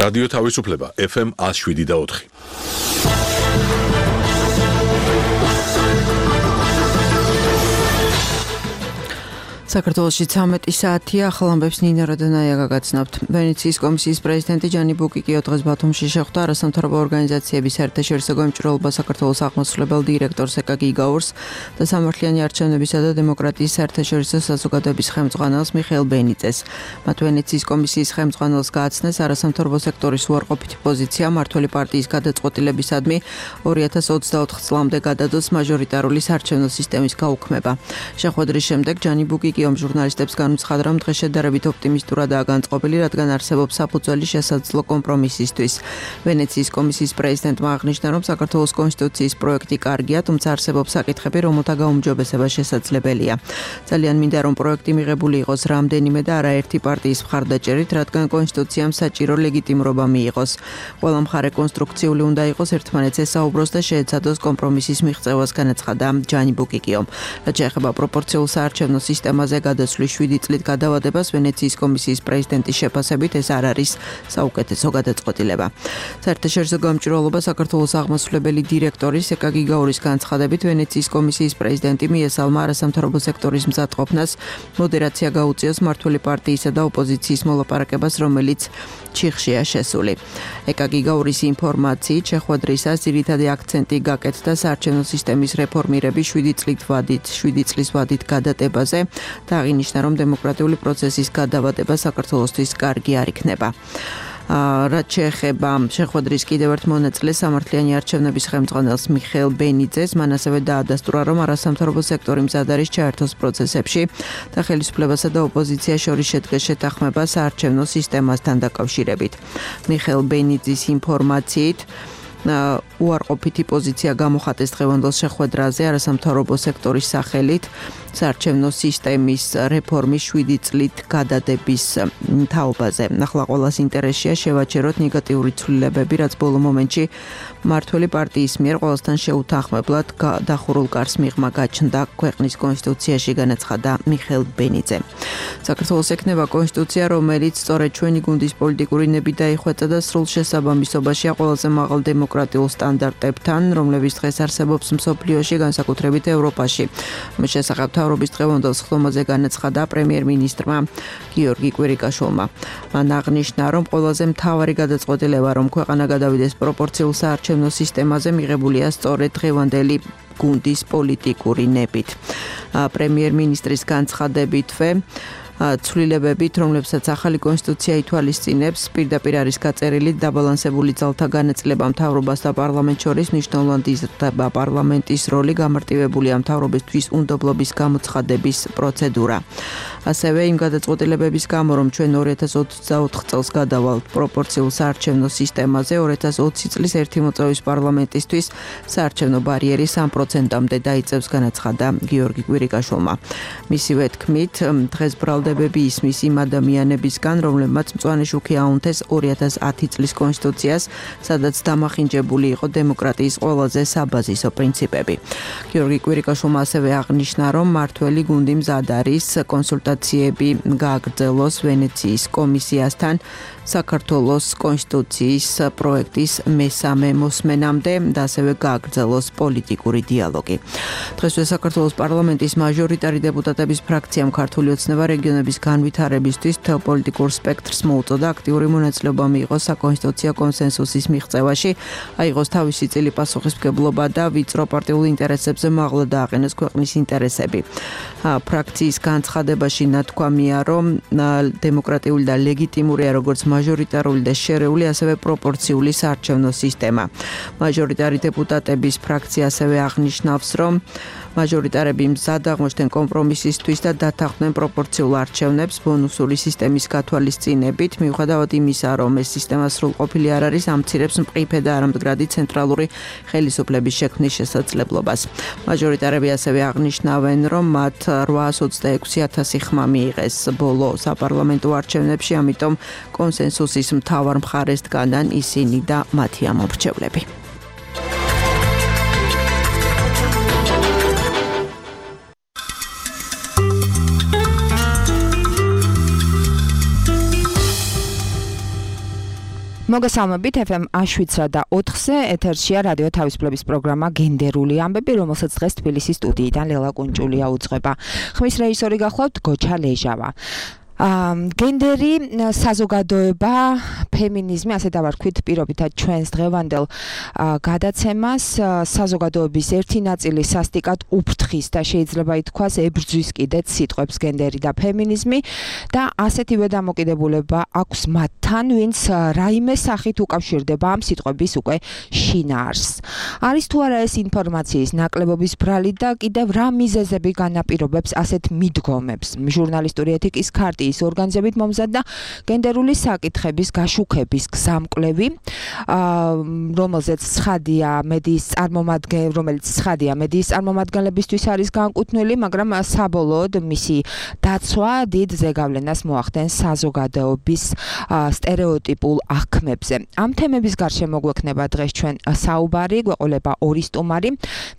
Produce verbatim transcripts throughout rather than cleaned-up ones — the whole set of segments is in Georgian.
რადიო თავისუფლება ეფ ემ one oh seven და four. საქართველოში ცამეტი საათია, ახალ ამბებს ნინა როდანაია გაგაცნობთ. ვენეციის კომისიის პრეზიდენტი ჯანი ბუკიკიო დღეს ბათუმში შეხვდა არასამთავრობო ორგანიზაციების საერთაშორისო გამჭვირვალობა საქართველოს აღმასრულებელ დირექტორს ეკაგი გაურს და სამართლიანი არჩევნებისა და დემოკრატიის საერთაშორისო საზოგადოების ხელმძღვანელს მიხეილ ბენიძეს. მათ ვენეციის კომისიის ხელმძღვანელს გააცნეს არასამთავრობო სექტორის უარყოფითი პოზიცია მმართველი პარტიის გადაწყვეტილებისადმი ორი ათას ოცდაოთხ წლამდე გადადოს მაჟორიტარული საარჩევნო სისტემის გაუქმება. შეხვედრის შემდეგ ჯანი ბუკიკიო ჟურნალისტებს განუცხადა, რომ დღეს შედარებით ოპტიმისტურადაა განწყობილი, რადგან არსებობს საფუძველი შესაძლო კომპრომისისთვის. ვენეციის კომისიის პრეზიდენტმა აღნიშნა, რომ საქართველოს კონსტიტუციის პროექტი კარგია, თუმცა არსებობს საკითხები, რომელთა გაუმჯობესება შესაძლებელია. ძალიან მინდა, რომ პროექტი მიღებული იყოს რამდენიმე და არაერთი პარტიის მხარდაჭერით, რადგან კონსტიტუციამ საჭირო ლეგიტიმურობა მიიღოს. ყველა მხარე კონსტრუქციული უნდა იყოს, ერთმანეთს ესაუბროს და შეეცადოს კომპრომისის მიღწევას, განაცხადა ჯანი ბუკიკიომ. რაც შეეხება პროპორციულ საარჩევნო სისტემას გადასვლის შვიდი წლით გადავადებას ვენეციის კომისიის პრეზიდენტის შეფასებით ეს არ არის საუკეთესო გადაწყვეტილება. საერთაშორისო გამჭვირვალობა საქართველოს აღმასრულებელი დირექტორის ეკაგი გაურის განცხადებით ვენეციის კომისიის პრეზიდენტი მიესალმა არასამთავრობო სექტორის მზადყოფნას მოდერაცია გაუწიოს მმართველი პარტიისა და ოპოზიციის მოლაპარაკებას, რომელიც ჩიხშია შესული. ეკაგი გაურის ინფორმაციით შეხვედრისას ძირითადი აქცენტი გაკეთდა საარჩევნო სისტემის რეფორმირების შვიდი წლით ვადით, შვიდი წლის ვადით გადატებაზე და აღინიშნა, რომ დემოკრატიული პროცესის გადავადება საქართველოსთვის კარგი არ იქნება. რაც შეეხება შეხვედრის კიდევ ერთ მონაწილეს სამართლიანი არჩევნების ხელმძღვანელს მიხეილ ბენიძეს, მან ასევე დაადასტურა, რომ არასამთავრობო სექტორი მზად არის ჩაერთოს პროცესებში და ხელისუფლებასა და ოპოზიციას შორის შედგეს შეთანხმება საარჩევნო სისტემასთან დაკავშირებით. მიხეილ ბენიძის ინფორმაციით უარყოფითი პოზიცია გამოხატეს დღევანდელ შეხვედრაზე არასამთავრობო სექტორის სახელით საარჩევნო სისტემის რეფორმის შვიდი წლით გადადების თაობაზე. ახლა ყველას ინტერესია შევაჩეროთ ნეგატიური ცვლილებები, რაც ბოლო მომენტში მმართველი პარტიის მიერ ყველასთან შეუთანხმებლად დახურულ კარს მიღმა გაჩნდა ქვეყნის კონსტიტუციაში, განაცხადა მიხეილ ბენიძე. საქართველოს ექნება კონსტიტუცია, რომელიც სწორედ ჩვენი გუნდის პოლიტიკური ნებით დაიხვეწა და სრულ შესაბამისობაშია ყველაზე მაღალ დემოკრატიულ სტანდარტებთან, რომლებიც დღეს არსებობს მსოფლიოში, განსაკუთრებით ევროპაში. ამის შესახებ მთავრობის დღევანდელ სხდომაზე განაცხადა პრემიერ-მინისტრმა გიორგი კვირიკაშვილმა. მან აღნიშნა, რომ ყველაზე მთავარი გადაწყვეტილება, რომ ქვეყანა გადავიდეს პროპორციულ საარჩევნო სისტემაზე, მიღებულია სწორედ დღევანდელი გუნდის პოლიტიკური ნებით. პრემიერ-მინისტრის განცხადებითვე ცვლილებებით, რომლებსაც ახალი კონსტიტუცია ითვალისწინებს, პირდაპირ არის გაწერილი დაბალანსებული ძალთა განაწილება მთავრობას და პარლამენტს შორის, მნიშვნელოვნად იზრდება პარლამენტის როლი, გამარტივებულია მთავრობისთვის უნდობლობის გამოცხადების პროცედურა. ასევე იმ გადაწყვეტილებების გამო, რომ ჩვენ ორი ათას ოცდაოთხ წელს გადავალთ პროპორციულ საარჩევნო სისტემაზე, ორი ათას ოცი წლის ერთი მოწვევის პარლამენტისთვის საარჩევნო ბარიერი სამ პროცენტამდე დაიწევს, განაცხადა გიორგი კვირიკაშვილმა. მისივე თქმით, დღეს ბრალდებები ისმის იმ ადამიანებისგან, რომლებმაც მწვანე შუქი აუნთეს ორი ათას ათი წლის კონსტიტუციას, სადაც დამახინჯებული იყო დემოკრატიის ყველაზე საბაზისო პრინციპები. გიორგი კვირიკაშვილმა ასევე აღნიშნა, რომ მმართველი გუნდი მზად არის კონსულტაციები გააგრძელოს ვენეციის კომისიასთან საქართველოს კონსტიტუციის პროექტის მესამე მოსმენამდე და ასევე გააგრძელოს პოლიტიკური დიალოგი. დღესვე საქართველოს პარლამენტის მაჟორიტარი დეპუტატების ფრაქციამ ქართული ოცნება რეგიონების განვითარებისთვის მთელ პოლიტიკურ სპექტრს მოუწოდა აქტიური მონაწილეობა მიიღოს საკონსტიტუციო კონსენსუსის მიღწევაში, აიღოს თავისი წილი პასუხისმგებლობა და ვიწრო პარტიულ ინტერესებზე მაღლა დააყენოს ქვეყნის ინტერესები. ფრაქციის განცხადებაში ნათქვამია, რომ დემოკრატიული და ლეგიტიმურია როგორც მაჟორიტარული და შერეული, ასევე პროპორციული საარჩევნო სისტემა. მაჟორიტარი დეპუტატების ფრაქცია ასევე აღნიშნავს, რომ მაჟორიტარები მზად აღმოჩნდნენ კომპრომისისთვის და დათანხმდნენ პროპორციულ არჩევნებს ბონუსური სისტემის გათვალისწინებით, მიუხედავად იმისა, რომ ეს სისტემა სრულყოფილი არ არის, ამცირებს მყიფე და არამდგრადი ცენტრალური ხელისუფლების შექმნის შესაძლებლობას. მაჟორიტარები ასევე აღნიშნავენ, რომ მათ რვაას ოცდაექვსი ათასი ხმა მიიღეს ბოლო საპარლამენტო არჩევნებში, ამიტომ კონსენსუსის მთავარ მხარეს დგანან ისინი და მათი ამომრჩევლები. მოგესალმებით ეფ ემ შვიდსა და ოთხზე ეთერშია რადიო თავისუფლების პროგრამა გენდერული ამბები, რომელსაც დღეს თბილისის სტუდიიდან ლელა კუნჭულია უძღვება. ხმის რეჟისორი გახლავთ გოჩა ლეჟავა. გენდერი, საზოგადოება, ფემინიზმი, ასე დავარქვით პირობითად ჩვენს დღევანდელ გადაცემას, საზოგადოების ერთი ნაწილი სასტიკად უფრთხის და შეიძლება ითქვას ებრძვის კიდეც სიტყვებს გენდერი და ფემინიზმი და ასეთივე დამოკიდებულება აქვს მათთან, ვინც რაიმე სახით უკავშირდება ამ სიტყვების უკვე შინაარსს. არის თუ არა ეს ინფორმაციის ნაკლებობის ბრალი და კიდევ რა მიზეზები განაპირობებს ასეთ მიდგომებს? ჟურნალისტური ეთიკის ქარტი ის ორგანიზებით მომზადდა გენდერული საკითხების გაშუქების გზამკვლევი, რომელზეც ცხადია მედიის წარმომადგენლები, რომელიც ცხადია მედიის წარმომადგენლებისთვის არის განკუთვნილი, მაგრამ საბოლოოდ მისი დაცვა დიდ ზეგავლენას მოახდენს საზოგადოების სტერეოტიპულ აღქმებზე. ამ თემების გარშემო გვექნება დღეს ჩვენ საუბარი, გვეყოლება ორი სტუმარი,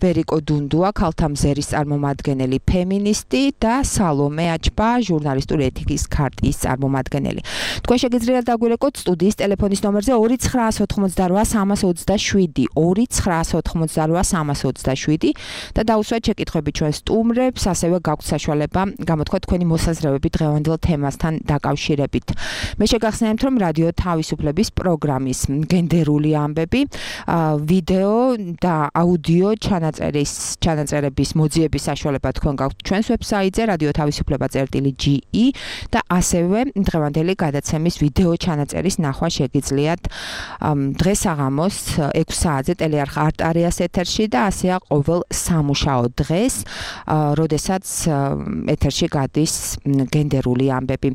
ვერიკო დუნდუა, ქალთა მზერის წარმომადგენელი ფემინისტი და სალომე აჩბა, ჟურნალისტური ეთიკის ქარტის წარმომადგენელი. თქვენ შეგიძლიათ დაგვირეკოთ სტუდიის ტელეფონის ნომერზე ორი ცხრა ოთხმოცდარვა სამას ოცდაშვიდი, ორი ცხრა ოთხმოცდარვა სამას ოცდაშვიდი და დაუსვათ შეკითხვები ჩვენ სტუმრებს, ასევე გაქვთ საშუალება გამოთქვათ თქვენი მოსაზრებები დღევანდელ თემასთან დაკავშირებით. მე შეგახსენებთ, რომ რადიო თავისუფლების პროგრამის გენდერული ამბები, ვიდეო და აუდიო ჩანაწერის ჩანაწერების მოძიების საშუალება თქვენ გაქვთ ჩვენს ვებსაიტზე რადიო თავისუფლება წერტილი ჯი ი და ასევე დღევანდელი გადაცემის ვიდეო ჩანაწერის ნახვა შეგიძლიათ დღეს საღამოს ექვს საათზე ტელეარხ არტარიას ეთერში და ასეა ყოველ სამუშაო დღეს, როდესაც ეთერში გადის გენდერული ამბები.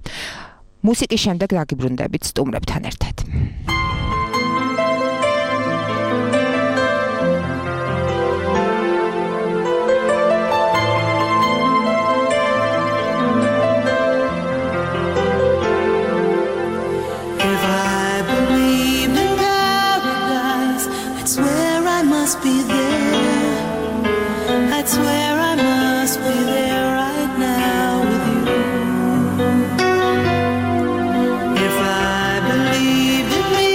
მუსიკის შემდეგ დაგიბრუნდებით სტუმრებთან ერთად. Must be there. I swear I must be there right now with you. If I believed in me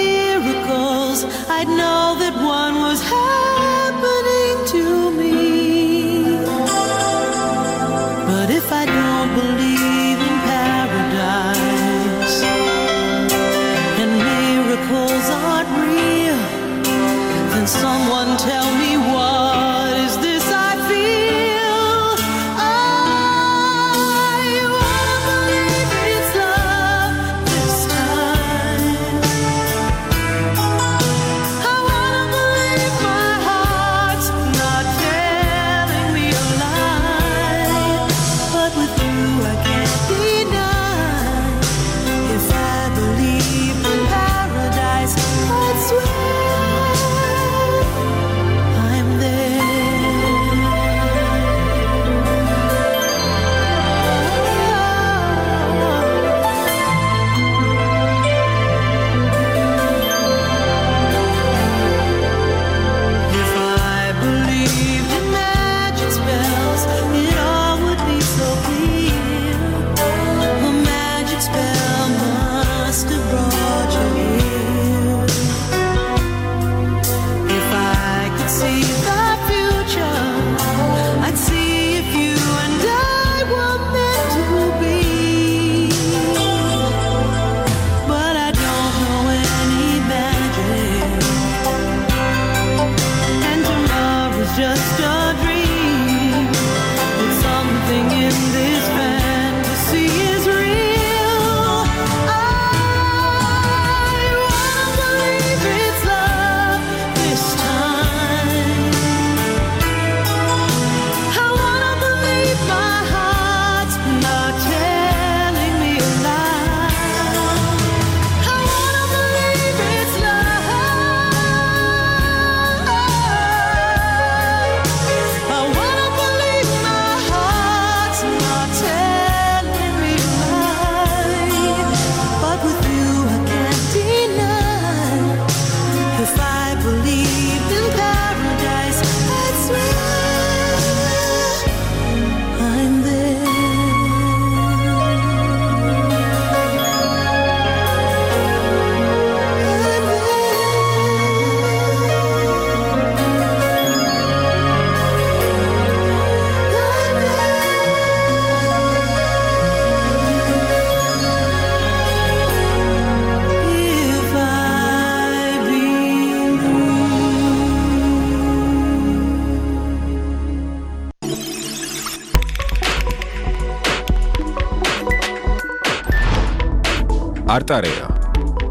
არტარეა.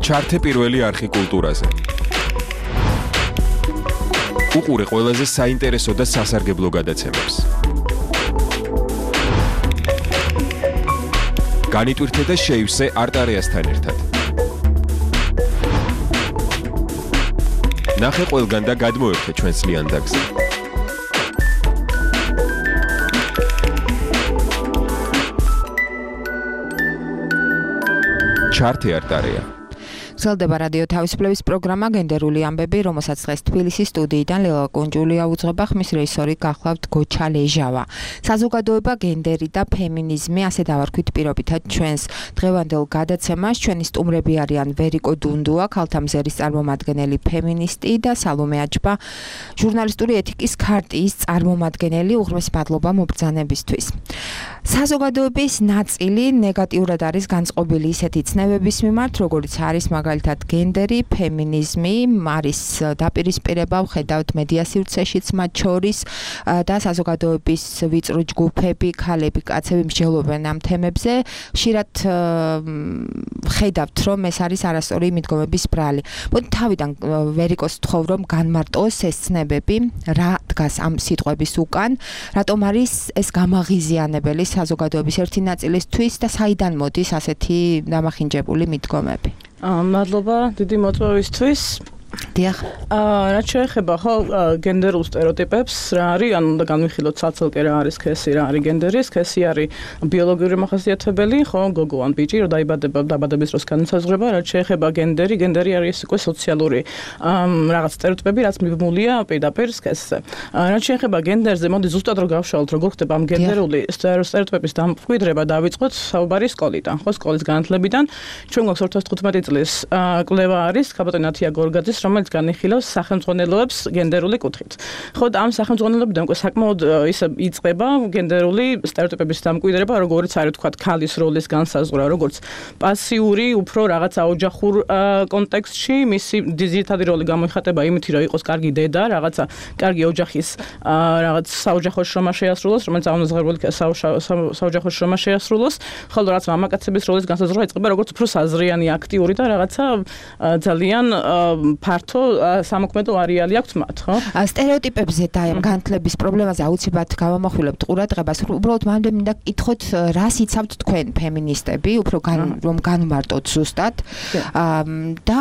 ჩართე პირველი არხი კულტურაზე. უყურე ყველაზე საინტერესო და სასარგებლო გადაცემებს. განიტვირთე და შეივსე არტარეასთან ერთად. ნახე ყველგან და გადმოერთე ჩვენს ლიანდაგზე. ჩართე არტარეა. გრძელდება რადიო თავისუფლების პროგრამა გენდერული ამბები, რომელსაც დღეს თბილისის სტუდიიდან ლელა კუნჯულია უძღვება, ხმის რეჟისორი გახლავთ გოჩა ლეჟავა. საზოგადოება, გენდერი და ფემინიზმი, ასე დავარქვით პირობითად ჩვენს დღევანდელ გადაცემას. ჩვენი სტუმრები არიან ვერიკო დუნდუა, ქალთა მზერის წარმომადგენელი ფემინისტი და სალომე აჯბა, ჟურნალისტური ეთიკის ქარტიის წარმომადგენელი. უღრმესი მადლობა მობრძანებისთვის. საზოგადოების ნაწილი ნეგატიურად არის განწყობილი ისეთი ცნებების მიმართ, როგორიც არის მაგალითად გენდერი, ფემინიზმი, არის დაპირისპირება, ვხედავთ მედია სივრცეშიც მათ შორის და საზოგადოების ვიწრო ჯგუფები, ქალები, კაცები მსჯელობენ ამ თემებზე. ხშირად ვხედავთ, რომ ეს არის არასწორი მიდგომების ბრალი. მოდი თავიდან ვერიკოს ვთხოვ, რომ განმარტოს ეს ცნებები, რა დგას ამ სიტყვების უკან, რატომ არის ეს გამაღიზიანებელი საზოგადოების ერთი ნაწილისთვის და საიდან მოდის ასეთი დამახინჯებული მიდგომები? მადლობა დიდი მოწვევისთვის. დიახ. აა რაც შეეხება ხო გენდერულ სტერეოტიპებს, რა არის, ანუ უნდა განვიხილოთ ცალ-ცალკე რა არის სქესი, რა არის გენდერი, სქესი არის ბიოლოგიური მახასიათებელი, ხო, გოგო ან ბიჭი, რომ დაიბადება, დაბადების დროს განსაზღვრება, რაც შეეხება გენდერი, გენდერი არის ეს უკვე სოციალური რაღაც სტერეოტიპები, რაც მიბმულია პირდაპირ სქესზე. რაც შეეხება გენდერზე, მოდი ზუსტად რომ გავშალოთ, როგორ ხდება ამ გენდერული სტერეოტიპების დამკვიდრება, დავიწყოთ საუბარი სკოლიდან, ხო, სკოლის განათლებიდან. ჩვენ გვაქვს ორი ათას თხუთმეტი წლის კვლევა არის, ქაბატონ ათია გორგაძის, რომელიც განიხილავს სახელმძღვანელოებს გენდერული კუთხით. ხო, ამ სახელმძღვანელოებიდან უკვე საკმაოდ ისე იწყება გენდერული სტერეოტიპების დამკვიდრება, როგორც არის თქვა ქალის როლის განსაზღვრა, როგორც პასიური, უფრო რაღაცა ოჯახურ კონტექსტში, მისი ძირითადი როლი გამოიხატება იმით, რომ იყოს კარგი დედა, რაღაცა კარგი ოჯახის რაღაც საოჯახო შრომა შეასრულოს, რომელიც აუნაზღერული საოჯახო შრომა შეასრულოს, ხოლო რაც მამაკაცების როლის განსაზღვრა იწყება როგორც უფრო საზრიანი, აქტიური და რაღაცა ძალიან ფართო სამოქმედო არეალი აქვს მათ, ხო? სტერეოტიპებზე და ამ განათლების პრობლემაზე აუცილებლად გავამახვილებთ ყურადღებას. უბრალოდ მანდ მინდა გითხოთ, რას იცავთ თქვენ ფემინისტები, უფრო რომ განმარტოთ ზუსტად. და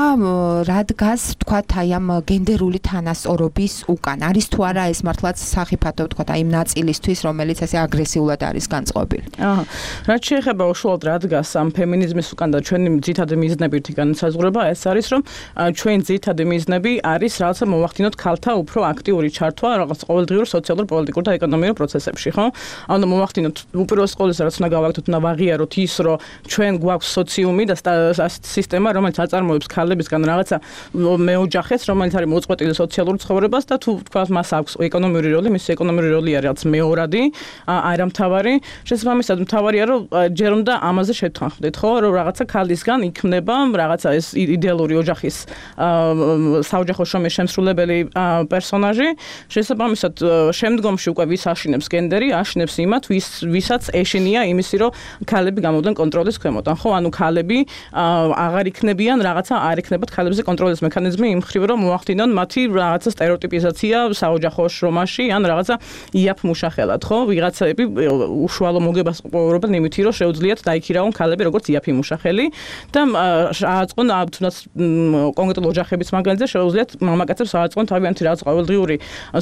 რა დგას, თქვათ, აი ამ გენდერული თანასწორობის უკან? არის თუ არა ეს მართლაც სახიფათო, თქვათ, აი იმ ნაწილისთვის, რომელიც ასე აგრესიულად არის განწყობილი? აჰა. რაც შეეხება უშუალოდ რა დგას ამ ფემინიზმის უკან და ჩვენი ძირითადი მიზნები ერთი განსაზღვრება, ეს არის, რომ ჩვენ ძირითადი მიზნები არის რაღაცა მოვახდინოთ ქალთა უფრო აქტიური ჩართვა რაღაც ყოველდღიურ სოციალურ, პოლიტიკურ და ეკონომიურ პროცესებში, ხო? ანუ მოვახდინოთ უპირველეს ყოვლისა, რაც უნდა გავაკეთოთ, უნდა ვაღიაროთ ის, რომ ჩვენ გვაქვს სოციუმი და სისტემა, რომელიც აწარმოებს ქალებისგან რაღაცა მეოჯახეს, რომელიც არის მოწყვეტილი სოციალურ ცხოვრებას და თუ თქვა მას აქვს ეკონომიური როლი, მისი ეკონომიური როლი არის რაღაც მეორადი, არა მთავარი. შესაბამისად, მთავარია, რომ ჯერ უნდა ამაზე შევთანხმდეთ, ხო? რომ რაღაცა ქალისგან იქმნება რაღაცა ეს იდეალური ოჯახის საოჯახო შრომის შემსრულებელი პერსონაჟი. შესაბამისად, შემდგომში უკვე ვის აშინებს გენდერი, აშინებს იმათ, ვის ვისაც ეშინია იმისი, რომ ქალები გამოდიან კონტროლის ქვემოთ. ხო, ანუ ქალები აღარ იქნებიან, რაღაცა არ იქნებათ ქალებზე კონტროლის მექანიზმი იმ მხრივ, რომ მოახდინონ მათი რაღაცა სტერეოტიპიზაცია საოჯახო შრომაში, ან რაღაცა იაფ მუშახელად, ხო? ვიღაცები უშუალო მოგებას ყოფილობენ იმითი, რომ შეუძლიათ დაიქირავონ ქალები როგორც იაფი მუშახელი და ააწყონ თუნდაც კონკრეტულ ოჯახების მაგალითზე შეუძლიათ მამაკაცებს ააწყონ თავიანთი რაღაც ყოველდღიური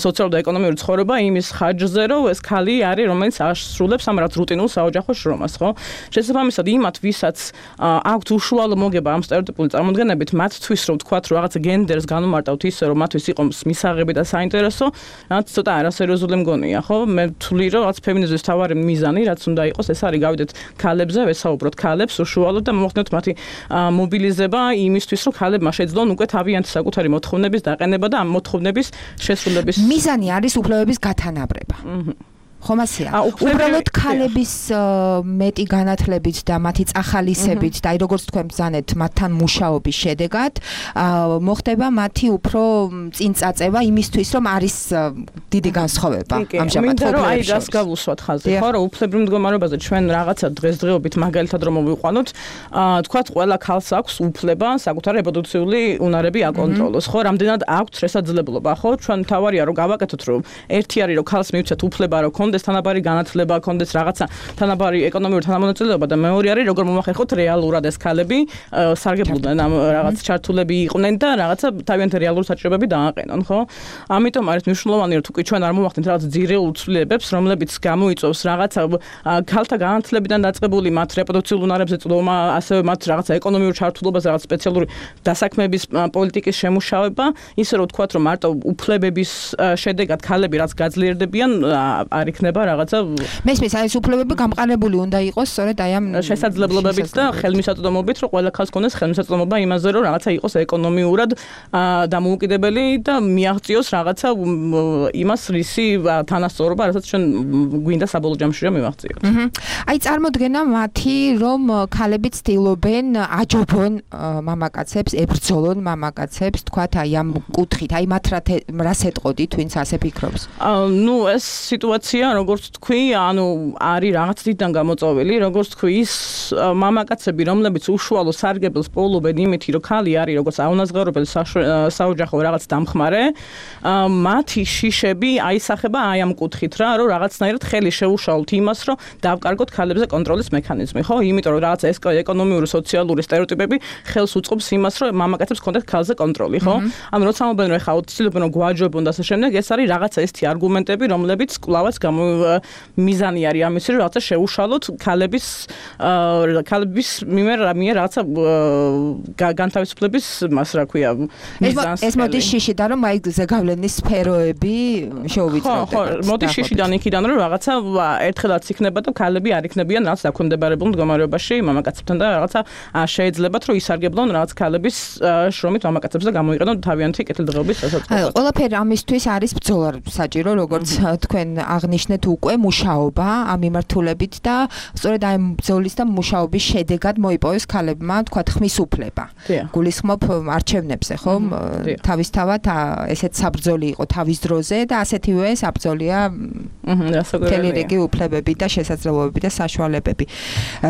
სოციალური და ეკონომიური ცხოვრება იმის ხარჯზე, რომ ეს ქალი არის, რომელიც ასრულებს ამ რაღაც რუტინულ საოჯახო შრომას, ხო? შესაბამისად, იმათ, ვისაც აქვთ უშუალო მოგება ამ სტერეოტიპული წარმოდგენებით, მათთვის რომ ვთქვათ, რომ რაღაცა გენდერს განუმარტავთ ისე, რომ მათთვის იყოს მისაღები და საინტერესო, რაც ცოტა არასერიოზული მგონია, ხო? მე ვთვლი, რომ რაც ფემინიზმის თავარი მიზანი, რაც უნდა იყოს, ეს არის გავიდეთ ქალებზე, ვესაუბროთ ქალებს უშუალოდ და მოვხდეთ მათი მობილიზება იმისთვის, რომ ქალებმა შეძლონ უკვე თავიანთი საკუთარი მოთხოვნების დაყენება და ამ მოთხოვნების შესრულების მიზანი არის უფლებების გათანაბრება. ხომ ასეა. უბრალოდ ქალების მეტი განათლებით და მათი წახალისებით და აი როგორც თქვენ ბრძანეთ მათთან მუშაობის შედეგად მოხდება მათი უფრო წინ წაწევა იმისთვის რომ არის დიდი განსხვავება ამჟამად ხო აი რას გავუსვათ ხაზი ხო რომ უფლებრივ მდგომარეობაზე ჩვენ რაღაცა დღესდღეობით მაგალითად რომ მოვიყვანოთ თქვათ ყველა ქალს აქვს უფლება საკუთარი რეპროდუქციული უნარები აკონტროლოს ხო რამდენად აქვს შესაძლებლობა ხო ჩვენ თავარია რომ გავაკეთოთ რომ ერთი არის რომ ქალს მივცეთ უფლება რომ კონდეს თანაბარი განათლება კონდეს რაღაცა თანაბარი ეკონომიური თანამონაწილეობა და მეორე არის როგორ მომახერხოთ რეალურად ეს ქალები სარგებლობდნენ ამ რაღაც ჩართულები იყვნენ და რაღაცა თავიანთი რეალური საჭიროებები დააყენონ ხო ამიტომ არის მნიშვნელოვანი რომ თუკი ჩვენ არ მომახდინთ რაღაც ძირეულ ცვლილებებს რომლებიც გამოიწვევს რაღაცა ქალთა განათლებიდან დაწყებული მათ რეპროდუქციულ უნარებზე წვდომა ასევე მათ რაღაცა ეკონომიურ ჩართულობაზე რაღაც სპეციალური დასაქმების პოლიტიკის შემუშავება ისე რომ ვთქვათ რომ მარტო უფლებების შედეგად ქალები რაც გაძლიერდებიან არ იქნება რაღაცა მესმის აი ეს უფლებები გამყარებული უნდა იყოს სწორედ აი ამ შესაძლებლობებით და ხელმისაწვდომობით რომ ყველა ქალს ქონდეს ხელმისაწვდომობა იმაზე რომ რაღაცა იყოს ეკონომიურად დამოუკიდებელი და მიაღწიოს რაღაცა იმას რისი თანასწორობა რასაც ჩვენ გვინდა საბოლოო ჯამში რომ მივაღწიოთ. აი წარმოდგენა მათი რომ ქალები ცდილობენ აჯობონ მამაკაცებს, ებრძოლონ მამაკაცებს, თქვათ აი ამ კუთხით, აი მათ რას ეტყოდით, ვინც ასე ფიქრობს? ნუ ეს სიტუაცია როგორც თქვი, ანუ არის რაღაც დიდან გამოწვეული, როგორც თქვი, ის მამაკაცები, რომლებიც უშუალო სარგებელს პოულობენ იმით, რომ ქალი არის როგორც აუნაზღაურებელი საოჯახო რაღაც დამხმარე, მათი შიშები აისახება აი ამ კუთხით რა, რომ რაღაცნაირად ხელი შეუშალოთ იმას, რომ დავკარგოთ ქალებზე კონტროლის მექანიზმი, ხო? იმიტომ რომ რაღაც ეს ეკონომიური, სოციალური სტერეოტიპები ხელს უწყობს იმას, რომ მამაკაცებს ჰქონდეთ ქალზე კონტროლი, ხო? ანუ როცა ამბობენ რომ ეხა ცდილობენ რომ გვაჯობონ და ასე შემდეგ, ეს არის რაღაცა ესეთი არგუმენტები, რომლებიც კლავაც მიზანი არის ამისი, რომ რაღაცა შეუშალოთ ქალების ქალების მიმერ მიერ რაღაცა განთავისუფლების მას რა ქვია მიზანს. ეს მოდი შიშიდან რომ აი ზეგავლენის სფეროები შეუვიწროთ. ხო, მოდი შიშიდან იქიდან რომ რაღაცა ერთხელაც იქნება და ქალები არ იქნებიან რაღაც დაქვემდებარებულ მდგომარეობაში მამაკაცებთან და რაღაცა შეიძლებათ რომ ისარგებლონ რაღაც ქალების შრომით მამაკაცებს და გამოიყენონ თავიანთი კეთილდღეობის სასაწყობად. ყველაფერი ამისთვის არის ბრძოლა საჭირო, როგორც თქვენ აღნიშნეთ უკვე მუშაობა ამ მიმართულებით და სწორედ აი ბრძოლის და მუშაობის შედეგად მოიპოვეს ქალებმა თქვათ ხმის უფლება. გულისხმობ არჩევნებზე, ხო? თავისთავად ესეც საბრძოლი იყო თავის დროზე და ასეთივე საბრძოლია მთელი რიგი უფლებები და შესაძლებლობები და საშუალებები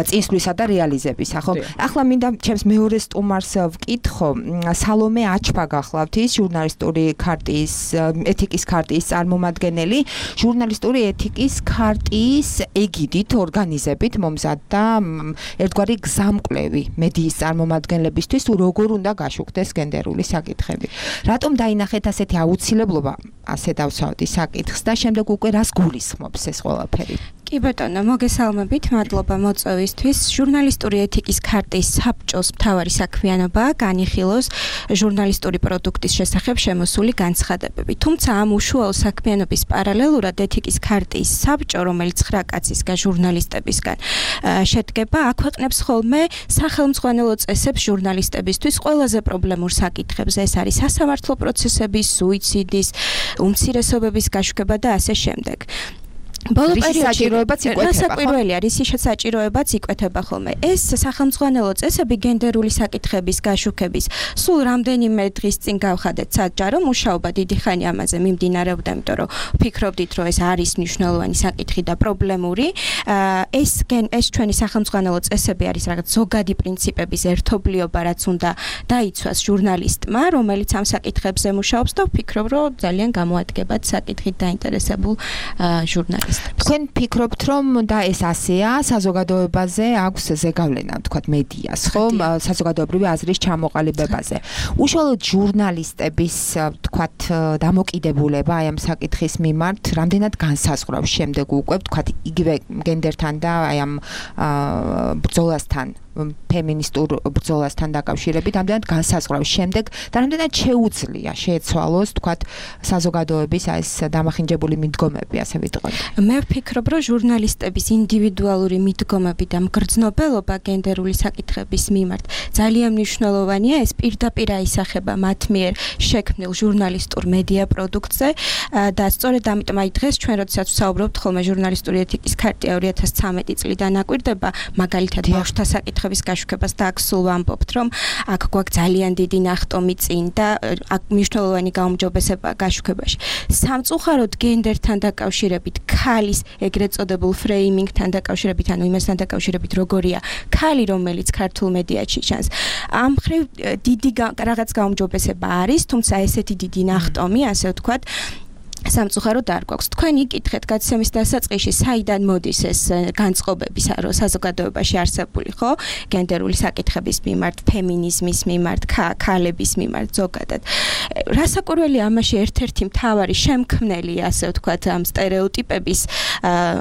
წინსვლისა და რეალიზებისა, ხო? ახლა მინდა ჩემს მეორე სტუმარს ვკითხო, სალომე აჩბა გახლავთ ის ჟურნალისტური ქარტიის ეთიკის ქარტიის წარმომადგენელი, ჟურნალისტური ეთიკის ქარტიის ეგიდით ორგანიზებით მომზადდა ერთგვარი გზამკვლევი მედიის წარმომადგენლებისთვის, როგორ უნდა გაშუქდეს გენდერული საკითხები. რატომ დაინახეთ ასეთი აუცილებლობა ასე დავსვათ ის საკითხს და შემდეგ უკვე რას გულისხმობს ეს ყველაფერი? კი ბატონო, მოგესალმებით, მადლობა მოწვევისთვის. ჟურნალისტური ეთიკის ქარტიის საბჭოს მთავარი საქმიანობაა განიხილოს ჟურნალისტური პროდუქტის შესახებ შემოსული განცხადებები. თუმცა ამ უშუალო საქმიანობის პარალელურად ეთიკის ქარტიის საბჭო, რომელიც ცხრა კაცისგან ჟურნალისტებისგან შედგება, აქვეყნებს ხოლმე სახელმძღვანელო წესებს ჟურნალისტებისთვის ყველაზე პრობლემურ საკითხებზე. ეს არის სასამართლო პროცესების, სუიციდის, უმცირესობების გაშუქება და ასე შემდეგ. ბოლო პერიოდში საჭიროებაც რისი საჭიროებაც იკვეთება ხოლმე. ეს სახელმძღვანელო წესები გენდერული საკითხების გაშუქების სულ რამდენიმე დღის წინ გავხადეთ საჯარო მუშაობა დიდი ხანი ამაზე მიმდინარეობდა, იმიტომ რომ ფიქრობდით, რომ ეს არის მნიშვნელოვანი საკითხი და პრობლემური. ეს ეს ჩვენი სახელმძღვანელო წესები არის რაღაც ზოგადი პრინციპების ერთობლიობა, რაც უნდა დაიცვას ჟურნალისტმა, რომელიც ამ საკითხებზე მუშაობს და ვფიქრობ, რომ ძალიან გამოადგებათ საკითხით დაინტერესებულ ჟურნალისტებს. თქვენ ფიქრობთ რომ და ეს ასეა საზოგადოებაზე აქვს ზეგავლენა თქვათ მედიას ხო საზოგადოებრივი აზრის ჩამოყალიბებაზე უშუალოდ ჟურნალისტების თქვათ დამოკიდებულება აი ამ საკითხის მიმართ რამდენად განსაზღვრავს შემდეგ უკვე თქვათ იგივე გენდერთან და აი ამ ბრძოლასთან ფემინისტურ ბრძოლასთან დაკავშირებით რამდენად განსაზღვრავს შემდეგ და რამდენად შეუძლია შეეცვალოს თქვათ საზოგადოების ეს დამახინჯებული მიდგომები ასე ვიტყოდ. მე ვფიქრობ, რომ ჟურნალისტების ინდივიდუალური მიდგომები და მგრძნობელობა გენდერული საკითხების მიმართ ძალიან მნიშვნელოვანია. ეს პირდაპირ აისახება მათ მიერ შექმნილ ჟურნალისტურ მედია პროდუქტზე და სწორედ ამიტომ აი დღეს ჩვენ როდესაც ვსაუბრობთ ხოლმე ჟურნალისტური ეთიკის ქარტია ორი ათას ცხრამეტი წლიდან აკვირდება, მაგალითად ბავშვთა საკითხების გაშუქებას და აქ სულ ვამბობთ, რომ აქ გვაქვს ძალიან დიდი ნახტომი წინ და აქ მნიშვნელოვანი გაუმჯობესება გაშუქებაში. სამწუხაროდ გენდერთან დაკავშირებით, ქალის ეგრეთ წოდებულ ფრეიმინგთან დაკავშირებით, ანუ იმასთან დაკავშირებით, როგორია ქალი, რომელიც ქართულ მედიაში ჩანს. ამ მხრივ დიდი რაღაც გაუმჯობესება არის, თუმცა ესეთი დიდი ნახტომი, ასე ვთქვათ, სამწუხაროდ არ გვაქვს. თქვენ იკითხეთ გაცემის დასაწყისში, საიდან მოდის ეს განწყობები საზოგადოებაში არსებული, ხო? გენდერული საკითხების მიმართ, ფემინიზმის მიმართ, ქალების მიმართ ზოგადად. რასაკვირველია ამაში ერთ-ერთი მთავარი შემქმნელი, ასე ვთქვათ, ამ სტერეოტიპების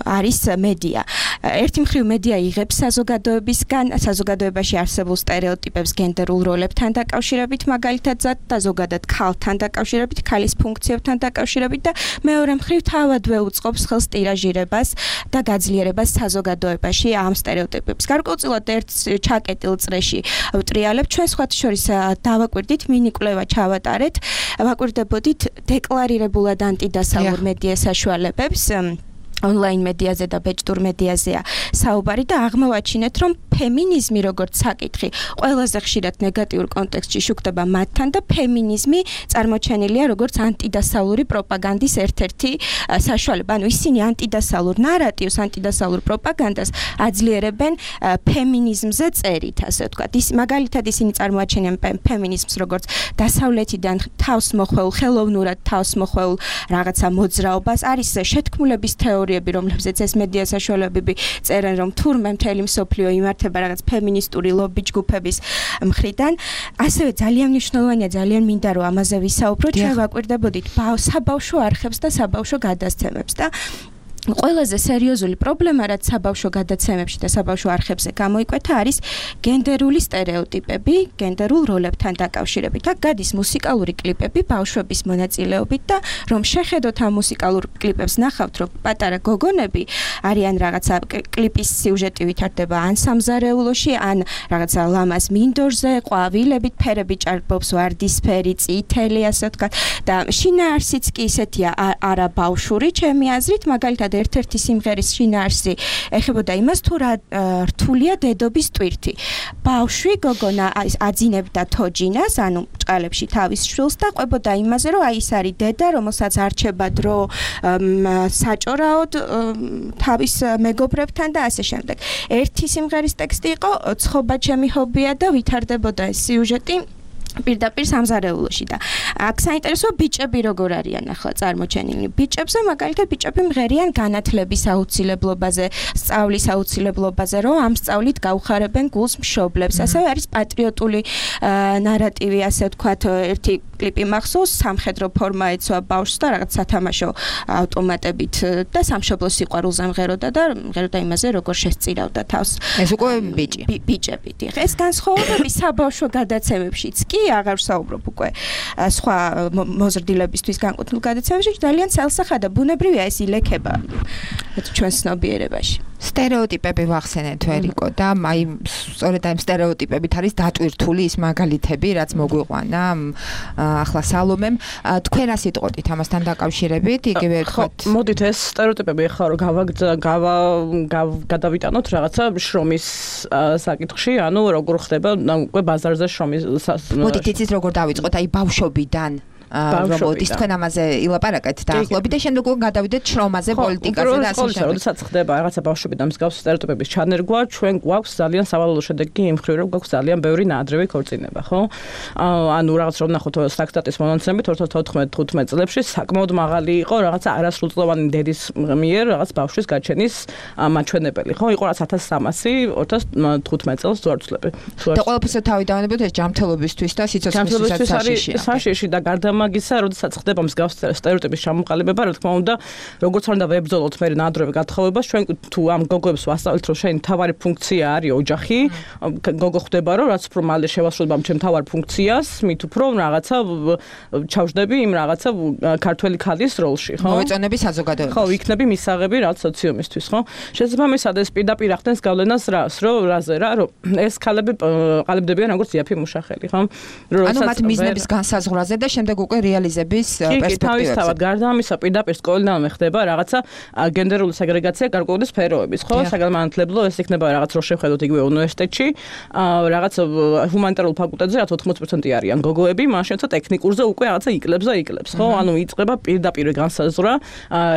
არის მედია. ერთი მხრივ მედია იღებს საზოგადოებისგან, საზოგადოებაში არსებულ სტერეოტიპებს გენდერულ როლებთან დაკავშირებით, მაგალითად და ზოგადად ქალთან დაკავშირებით, ქალის ფუნქციებთან დაკავშირებით და მეორე მხრივ თავადვე უწყობს ხელს ტირაჟირებას და გაძლიერებას საზოგადოებაში ამ სტერეოტიპებს. გარკვეულწილად ერთ ჩაკეტილ წრეში ვტრიალებ, ჩვენ სხვათა შორის დავაკვირდით, მინი კვლევა ჩავატარეთ, ვაკვირდებოდით დეკლარირებულად ანტიდასალურ მედია საშუალებებს. ონლაინ მედიაზე და ბეჭდურ მედიაზეა საუბარი და აღმოვაჩინეთ, რომ ფემინიზმი როგორც საკითხი ყველაზე ხშირად ნეგატიურ კონტექსტში შუქდება მათთან და ფემინიზმი წარმოჩენილია როგორც ანტიდასავლური პროპაგანდის ერთ-ერთი საშუალება. ანუ ისინი ანტიდასალურ ნარატივს, ანტიდასალურ პროპაგანდას აძლიერებენ ფემინიზმზე წერით, ასე ვთქვათ. ის მაგალითად ისინი წარმოაჩენენ ფემინიზმს როგორც დასავლეთიდან თავს მოხვეულ, ხელოვნურად თავს მოხვეულ რაღაცა მოძრაობას. არის შეთქმულების თეორია, რომლებზეც ეს მედია საშუალებები წერენ, რომ თურმე მთელი მსოფლიო იმართება რაღაც ფემინისტური ლობი ჯგუფების მხრიდან. ასევე ძალიან მნიშვნელოვანია, ძალიან მინდა რომ ამაზე ვისაუბრო, ჩვენ ვაკვირდებოდით საბავშვო არხებს და საბავშვო გადაცემებს და ყველაზე სერიოზული პრობლემა, რაც საბავშვო გადაცემებში და საბავშვო არხებზე გამოიკვეთა, არის გენდერული სტერეოტიპები, გენდერულ როლებთან დაკავშირებით. აქ გადის მუსიკალური კლიპები ბავშვების მონაწილეობით და რომ შეხედოთ ამ მუსიკალურ კლიპებს, ნახავთ, რომ პატარა გოგონები არიან რაღაცა კლიპის სიუჟეტი ვითარდება ან სამზარეულოში, ან რაღაცა ლამაზ მინდორზე, ყვავილებით, ფერები ჭარბობს, ვარდისფერი, წითელი, ასე ვთქვათ. და შინაარსიც კი ისეთია არა ბავშვური, ჩემი აზრით, მაგალითად ერთ-ერთი სიმღერის შინაარსი ეხებოდა იმას, თუ რა რთულია დედობის ტვირთი. ბავშვი გოგონა აძინებდა თოჯინას, ანუ ჭყალებში თავის შვილს და ყვებოდა იმაზე, რომ აი ეს არის დედა, რომელსაც არჩება დრო საჭორაოდ თავის მეგობრებთან და ასე შემდეგ. ერთი სიმღერის ტექსტი იყო "ცხობა ჩემი ჰობია" და ვითარდებოდა ეს სიუჟეტი პირდაპირ სამზარეულოში და აქ საინტერესოა ბიჭები როგორ არიან ახლა წარმოჩენილი. ბიჭებზე მაგალითად ბიჭები მღერიან განათლების აუცილებლობაზე, სწავლის აუცილებლობაზე, რომ ამ სწავლით გაუხარებენ გულს მშობლებს. ასევე არის პატრიოტული ნარატივი, ასე ვთქვათ, ერთი კლიპი მახსოვს, სამხედრო ფორმა ეცვა ბავშვს და რაღაც სათამაშო ავტომატებით და სამშობლოს სიყვარულზე მღეროდა და მღეროდა იმაზე, როგორ შესწირავდა თავს. ეს უკვე ბიჭი. ბიჭები. ეს განსხვავებები საბავშვო გადაცემებშიც კი აღარ ვსაუბრობ უკვე სხვა მოზრდილებისთვის განკუთვნილ გადაცემებში, ძალიან ცელსახადა ბუნებრივია ეს ილექება ჩვენ ცნობიერებაში. სტერეოტიპები ვახსენეთ ვერიკო და აი სწორედ აი სტერეოტიპებით არის დატვირთული ის მაგალითები, რაც მოგვიყვანა ახლა სალომემ. თქვენ რა სიტყვით ამასთან დაკავშირებით, იგივე ვთქვათ. მოდით ეს სტერეოტიპები ახლა რომ გავა გადავიტანოთ რაღაცა შრომის საკითხში, ანუ როგორ ხდება უკვე ბაზარზე შრომის. მოდით იცით როგორ დავიწყოთ აი ბავშვობიდან. რომ მოდის თქვენ ამაზე ილაპარაკეთ დაახლოებით და შემდეგ უკვე გადავიდეთ შრომაზე, პოლიტიკაზე და ასე შემდეგ. როდესაც ხდება რაღაცა ბავშვები და მსგავსი სტერეოტიპების ჩანერგვა, ჩვენ გვაქვს ძალიან სავალალო შედეგი იმ მხრივ, რომ გვაქვს ძალიან ბევრი ნაადრევი ქორწინება, ხო? ანუ რაღაც რომ ნახოთ სტატისტიკის მონაცემებით ორი ათას ოთხმეტ თხუთმეტ წლებში საკმაოდ მაღალი იყო რაღაცა არასრულწლოვანი დედის მიერ რაღაც ბავშვის გაჩენის მაჩვენებელი, ხო? იყო რაღაც ათას სამასი ორი ათას თხუთმეტ წელს ზვარცლები. და ყველაფერს თავი დავანებოთ ეს ჯანმრთელობისთვის და სიცოცხლისთვისაც საშიში. საშიში და გარდამა მაგისა, როდესაც ხდება მსგავსი სტერეოტიპის ჩამოყალიბება, რა თქმა უნდა, როგორც არ უნდა ვებრძოლოთ მე ნადრევი გათხოვებას, ჩვენ თუ ამ გოგოებს ვასწავლეთ, რომ შენი თავარი ფუნქცია არის ოჯახი, გოგო ხდება, რომ რაც უფრო მალე შევასრულებ ამ ჩემ თავარ ფუნქციას, მით უფრო რაღაცა ჩავждები იმ რაღაცა ქართველი ქალის როლში, ხო? მოვეწონები საზოგადოებას. ხო, იქნები მისაღები რაც სოციუმისთვის, ხო? შესაბამისად ეს პირდაპირ ახდენს გავლენას რას, რომ რაზე რა, რომ ეს ქალები ყალიბდებიან როგორც იაფი მუშახელი, ხო? ანუ მათ მიზნების განსაზღვრაზე და შემდეგ უკვე რეალიზების პერსპექტივებზე. კი, თავისთავად გარდა ამისა პირდაპირ სკოლიდან ხდება რაღაცა გენდერული სეგრეგაცია გარკვეული სფეროების, ხო? საგანმანათლებლო ეს იქნება რაღაც რო შევხედოთ იგივე უნივერსიტეტში, რაღაც ჰუმანიტარულ ფაკულტეტზე რაც ოთხმოცი პროცენტი არიან გოგოები, მაშინ თო ტექნიკურზე უკვე რაღაცა იკლებს და იკლებს, ხო? ანუ იწყება პირდაპირ განსაზღვრა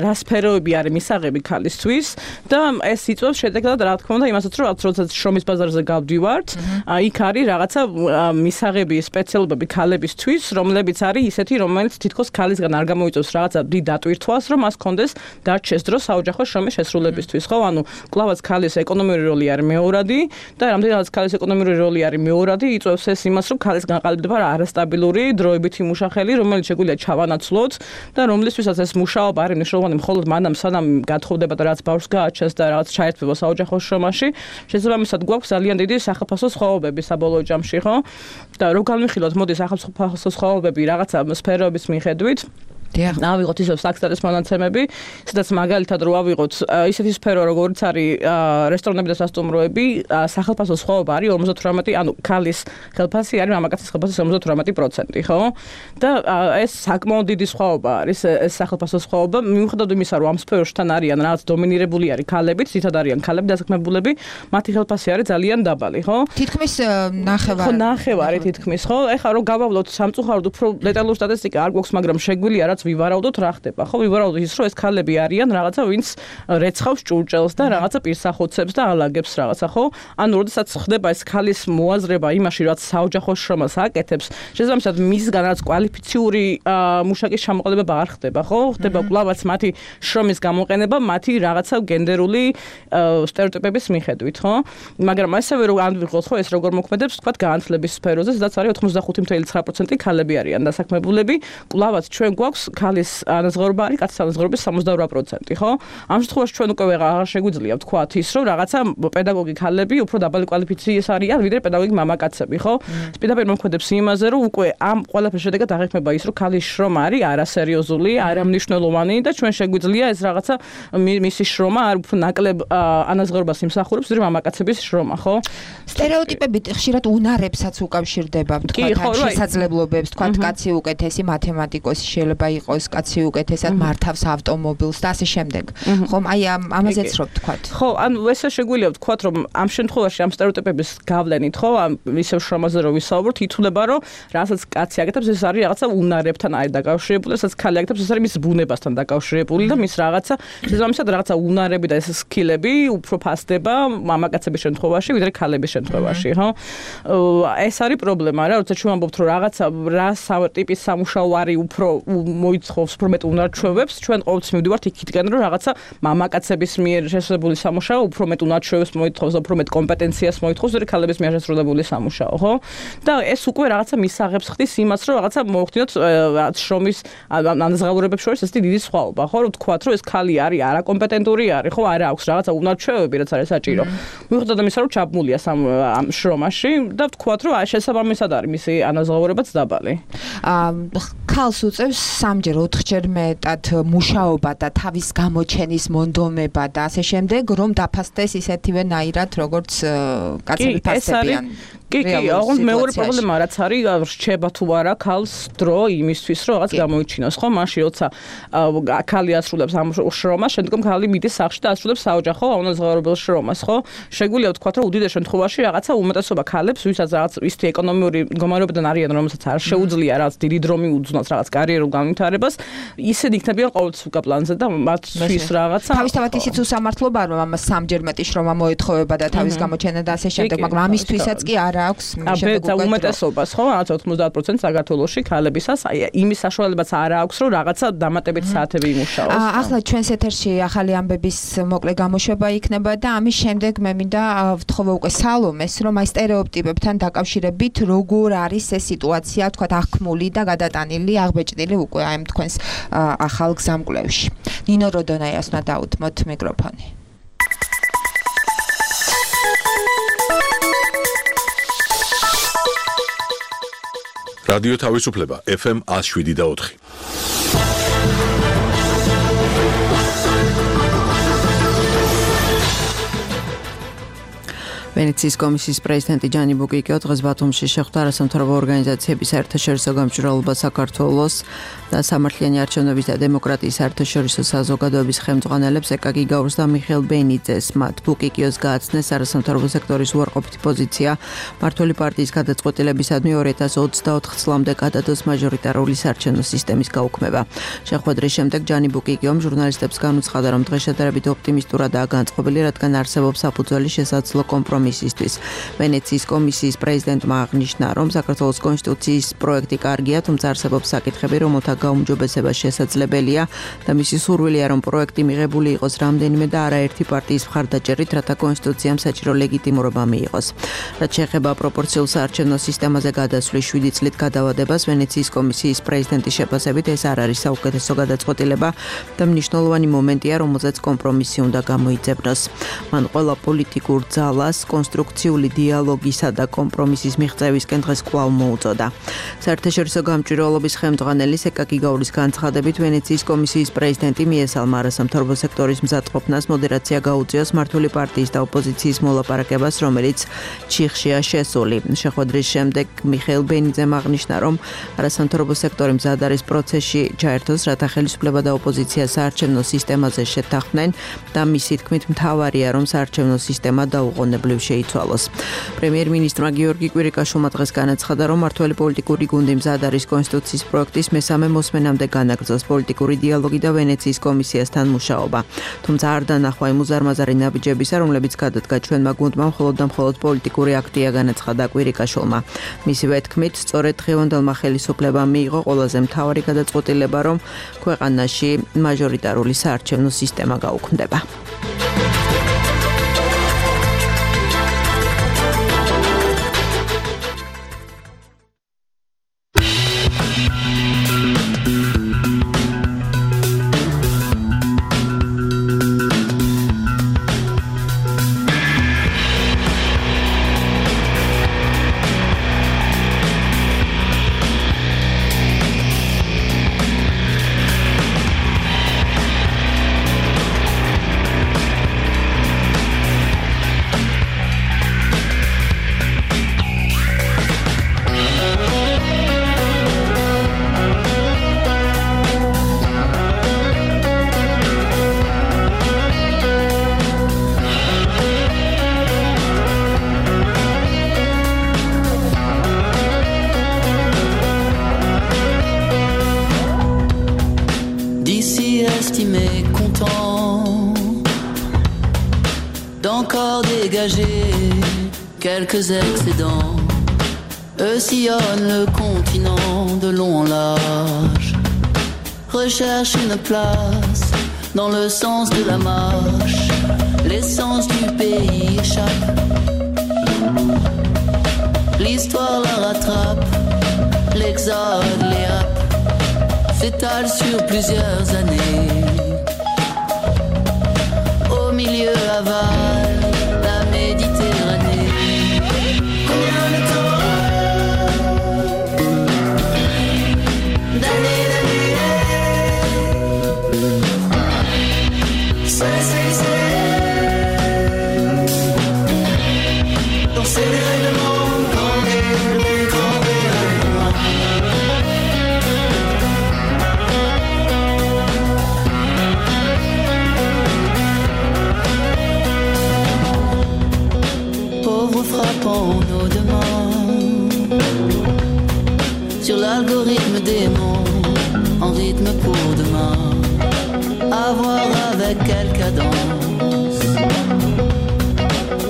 რა სფეროები არის მისაღები ქალისთვის და ეს იწვევს შედეგად რა თქმა უნდა იმასაც რომ როდესაც შრომის ბაზარზე გავდივართ, იქ არის რაღაცა მისაღები სპეციალობები ქალებისთვის, რომლებიც არის ისეთი, რომელიც თითქოს ქალისგან არ გამოიწვევს რაღაცა დიდ დატვირთვას, რომ მას კონდეს დარჩეს დრო საოჯახო შრომის შესრულებისთვის, ხო? ანუ კლავაც ქალის ეკონომიური როლი არის მეორადი და რამდენადაც ქალის ეკონომიური როლი არის მეორადი, იწვევს ეს იმას, რომ ქალის განყალიბდება არასტაბილური დროებითი მუშახელი, რომელიც შეგვიძლია ჩავანაცვლოთ და რომლისთვისაც ეს მუშაობა არის მნიშვნელოვანი მხოლოდ მანამ სანამ გათხოვდება და რაც ბავშვს გააჩენს და რაც ჩაერთვება საოჯახო შრომაში, შესაბამისად გვაქვს ძალიან დიდი სახელმწიფო სხვაობები საბოლოო ჯამში, ხო? და რო განვიხილოთ, მოდი სახელმწიფო სხვაობები რაღაცა სფეროების მიხედვით ავიღოთ ისევ საქსტარის მონაცემები, სადაც მაგალითად რო ავიღოთ ისეთი სფერო როგორც არის რესტორნები და სასტუმროები, სახელმწიფო სხვაობა არის ორმოცდათვრამეტი, ანუ ქალის ხელფასი არის მამაკაცის ხელფასის ორმოცდათვრამეტი პროცენტი, ხო? და ეს საკმაოდ დიდი სხვაობა არის, ეს სახელმწიფო სხვაობა, მიუხედავად იმისა, რომ ამ სფეროში თან არიან რაღაც დომინირებული არის ქალები, თითად არიან ქალები დასაქმებულები, მათი ხელფასი არის ძალიან დაბალი, ხო? თითქმის ნახევარი. ხო, ნახევარი თითქმის, ხო? ეხლა რო გავავლოთ სამწუხაროდ უფრო დეტალური სტატისტიკა არ გვაქვს, მაგრამ შეგვიძლია რაც ვივარაუდოთ რა ხდება, ხო? ვივარაუდოთ ის, რომ ეს ქალები არიან რაღაცა, ვინც რეცხავს ჭურჭელს და რაღაცა პირსახოცებს და ალაგებს რაღაცა, ხო? ანუ როდესაც ხდება ეს ქალის მოაზრება იმაში, რაც საოჯახო შრომას აკეთებს, შესაბამისად მისგან რაც კვალიფიციური მუშაკის ჩამოყალიბება არ ხდება, ხო? ხდება კვლავაც მათი შრომის გამოყენება, მათი რაღაცა გენდერული სტერეოტიპების მიხედვით, ხო? მაგრამ ასევე რომ ანვიღოთ, ხო, ეს როგორ მოქმედებს, თქვა განათლების სფეროზე, სადაც არის ოცდახუთი წუთი ცხრა პროცენტი ქალები არიან დასაქმებულები, კვლავაც ჩვენ გვაქვს ქალის ანაზღაურება არის კაცის ანაზღაურების სამოცდაორვა პროცენტი, ხო? ამ შემთხვევაში ჩვენ უკვე აღარ შეგვიძლია ვთქვათ ის, რომ რაღაცა პედაგოგი ქალები უფრო დაბალი კვალიფიციის არიან, ვიდრე პედაგოგი მამაკაცები, ხო? ეს პირდაპირ მოქმედებს იმაზე, რომ უკვე ამ ყველაფრის შედეგად აღიქმება ის, რომ ქალის შრომა არის არასერიოზული, არამნიშვნელოვანი და ჩვენ შეგვიძლია ეს რაღაცა მისი შრომა არ უფრო ნაკლებ ანაზღაურებას იმსახურებს, ვიდრე მამაკაცების შრომა, ხო? სტერეოტიპები ხშირად უნარებსაც უკავშირდება, ვთქვათ, შესაძლებლობებს, ვთქვათ, კაცი უკეთესი მათემატიკოსი შეიძლება იყოს, კაცი უკეთესად მართავს ავტომობილს და ასე შემდეგ. ხომ, აი ამაზეც რო ვთქვათ. ხო, ანუ ესე შეგვიძლია ვთქვათ, რომ ამ შემთხვევაში ამ სტერეოტიპების გავლენით, ხო, ამ ისევ შრომაზე რო ვისაუბროთ, ითვლება, რომ რასაც კაცი აკეთებს, ეს არის რაღაცა უნარებთან არის დაკავშირებული, რასაც ქალი აკეთებს, ეს არის მის ბუნებასთან დაკავშირებული და მის რაღაცა შესაბამისად რაღაცა უნარები და ეს სკილები უფრო ფასდება მამაკაცების შემთხვევაში, ვიდრე ქალების შემთხვევაში, ხო? ეს არის პრობლემა რა, როცა ჩვენ ვამბობთ, რომ რაღაცა რა ტიპის სამუშაო არის უფრო მოიცხოვს უფრო მეტ უნარჩვევებს, ჩვენ ყოველთვის მივდივართ იქითკენ, რომ რაღაცა მამაკაცების მიერ შესრულებული სამუშაო უფრო მეტ უნარჩვევებს მოითხოვს, უფრო მეტ კომპეტენციას მოითხოვს, ვიდრე ქალების მიერ შესრულებული სამუშაო, ხო? და ეს უკვე რაღაცა მისაღებს ხდის იმას, რომ რაღაცა მოახდინოთ შრომის ანაზღაურებებს შორის ესეთი დიდი სხვაობა, ხო? რომ თქვათ, რომ ეს ქალი არის არაკომპეტენტური არის, ხო? არა აქვს რაღაცა უნარჩვევები, რაც არის საჭირო. მიუხედავად იმისა, რომ ჩაბმულია ამ შრომაში და ვთქვათ, რომ შესაბამისად არის მისი ანაზღაურებაც დაბალი. ქალს უწევს სამჯერ, ოთხჯერ მეტად მუშაობა და თავის გამოჩენის მონდომება და ასე შემდეგ, რომ დაფასდეს ისეთივენაირად, როგორც კაცები ფასდებიან. კი, კი, ოღონდ მეორე პრობლემა რაც არის, რჩება თუ არა ქალს დრო იმისთვის, რომ რაღაც გამოიჩინოს, ხო? მაშინ როცა ქალი ასრულებს ამ შრომას, შემდგომ ქალი მიდის სახლში და ასრულებს საოჯახო ანაზღაურებელ შრომას, ხო? შეგვიძლია ვთქვათ, რომ უდიდეს შემთხვევაში რაღაცა უმეტესობა ქალებს, ვისაც რაღაც ისეთი ეკონომიური მდგომარეობიდან არიან, რომელსაც არ შეუძლია რაღაც დიდი დრო მიუძღვნოს რაღაც კარიერულ განვითარებას, ისინი იქნებიან ყოველთვის უკან პლანზე და მათთვის რაღაცა თავისთავად ისიც უსამართლობაა, რომ ამას სამჯერ მეტი შრომა მოეთხოვება და თავის გამოჩენა და ასე შემდეგ, მაგრამ ამისთვისაც კი არ არ აქვს აბე უმეტესობას ხო რაც ოცდაოთხ პროცენტი საქართველოში ქალებისას აი იმის საშუალებაც არ აქვს რომ რაღაცა დამატებითი საათები იმუშაოს. ახლა ჩვენს ეთერში ახალი ამბების მოკლე გამოშვება იქნება და ამის შემდეგ მე მინდა ვთხოვე უკვე სალომეს რომ აი სტერეოტიპებთან დაკავშირებით როგორ არის ეს სიტუაცია თქვა აღქმული და გადატანილი აღბეჭდილი უკვე აი თქვენს ახალ გზამკვლევში. ნინო როდონაიას უნდა დაუთმოთ მიკროფონი. რადიო თავისუფლება ეფ ემ one oh seven და ოთხი. ვენეციის კომისიის პრეზიდენტი ჯანი ბუკიკიო დღეს ბათუმში შეხვდა არასამთავრობო ორგანიზაციების საერთაშორისო გამჭვირვალობა საქართველოს და სამართლიანი არჩევნების და დემოკრატიის საერთაშორისო საზოგადოების ხელმძღვანელებს ეკაკი გაურს და მიხეილ ბენიძეს. მათ ბუკიკიოს გააცნეს არასამთავრობო სექტორის უარყოფითი პოზიცია მმართველი პარტიის გადაწყვეტილებისადმი ორი ათას ოცდაოთხ წლამდე გადადოს მაჟორიტარული საარჩევნო სისტემის გაუქმება. შეხვედრის შემდეგ ჯანი ბუკიკიომ ჟურნალისტებს განუცხადა, რომ დღეს შედარებით ოპტიმისტურადაა განწყობილი, რადგან არსებობს საფუძველი შესაძლო კომპრომისისთვის. ვენეციის კომისიის პრეზიდენტმა აღნიშნა, რომ საქართველოს კონსტიტუციის პროექტი კარგია, თუმცა არსებობს საკითხები, რომელთა გაუმჯობესება შესაძლებელია და მისი სურვილია, რომ პროექტი მიღებული იყოს რამდენიმე და არაერთი პარტიის მხარდაჭერით, რათა კონსტიტუციამ საჭირო ლეგიტიმურობა მიიღოს. რაც შეეხება პროპორციულ საარჩევნო სისტემაზე გადასვლის შვიდი წლით გადავადებას, ვენეციის კომისიის პრეზიდენტის შეფასებით ეს არ არის საუკეთესო გადაწყვეტილება და მნიშვნელოვანი მომენტია, რომელზეც კომპრომისი უნდა გამოიძებნოს. მან ყველა პოლიტიკურ ძალას კონსტრუქციული დიალოგისა და კომპრომისის მიღწევისკენ დღეს კვლავ მოუწოდა. საერთაშორისო გამჭვირვალობის ხელმძღვანელის ეკაკი გაურის განცხადებით, ვენეციის კომისიის პრეზიდენტი მიესალმა არასამთავრობო სექტორის მზადყოფნას მოდერაცია გაუწიოს მმართველი პარტიის და ოპოზიციის მოლაპარაკებას, რომელიც ჩიხშია შესული. შეხვედრის შემდეგ მიხეილ ბენიძემ აღნიშნა, რომ არასამთავრობო სექტორი მზად არის პროცესში ჩაერთოს, რათა ხელისუფლება და ოპოზიცია საარჩევნო სისტემაზე შეთანხმდნენ და მისი თქმით მთავარია, რომ საარჩევნო სისტემა დაუყოვნებლივ შეიცვალოს. პრემიერ-მინისტრმა გიორგი კვირიკაშვილმა დღეს განაცხადა, რომ მმართველი პოლიტიკური გუნდი მზად არის კონსტიტუციის პროექტის მესამე მოსმენამდე განაგრძოს პოლიტიკური დიალოგი და ვენეციის კომისიასთან მუშაობა. თუმცა არ დანახვა იმ უზარმაზარი ნაბიჯებისა, რომლებიც გადადგა ჩვენმა გუნდმა მხოლოდ და მხოლოდ პოლიტიკური აქტია, განაცხადა კვირიკაშვილმა. მისივე თქმით, სწორედ დღევანდელმა ხელისუფლებამ მიიღო ყველაზე მთავარი გადაწყვეტილება, რომ ქვეყანაში მაჟორიტარული საარჩევნო სისტემა გაუქმდება. Quelques excédents, eux sillonnent le continent de long en large, recherchent une place dans le sens de la marche, l'essence du pays échappe, l'histoire la rattrape, l'exode les happe, s'étale sur plusieurs années, au milieu aval la Méditerranée. Nos demandes sur l'algorithme des mots en rythme pour demain, à voir avec quelle cadence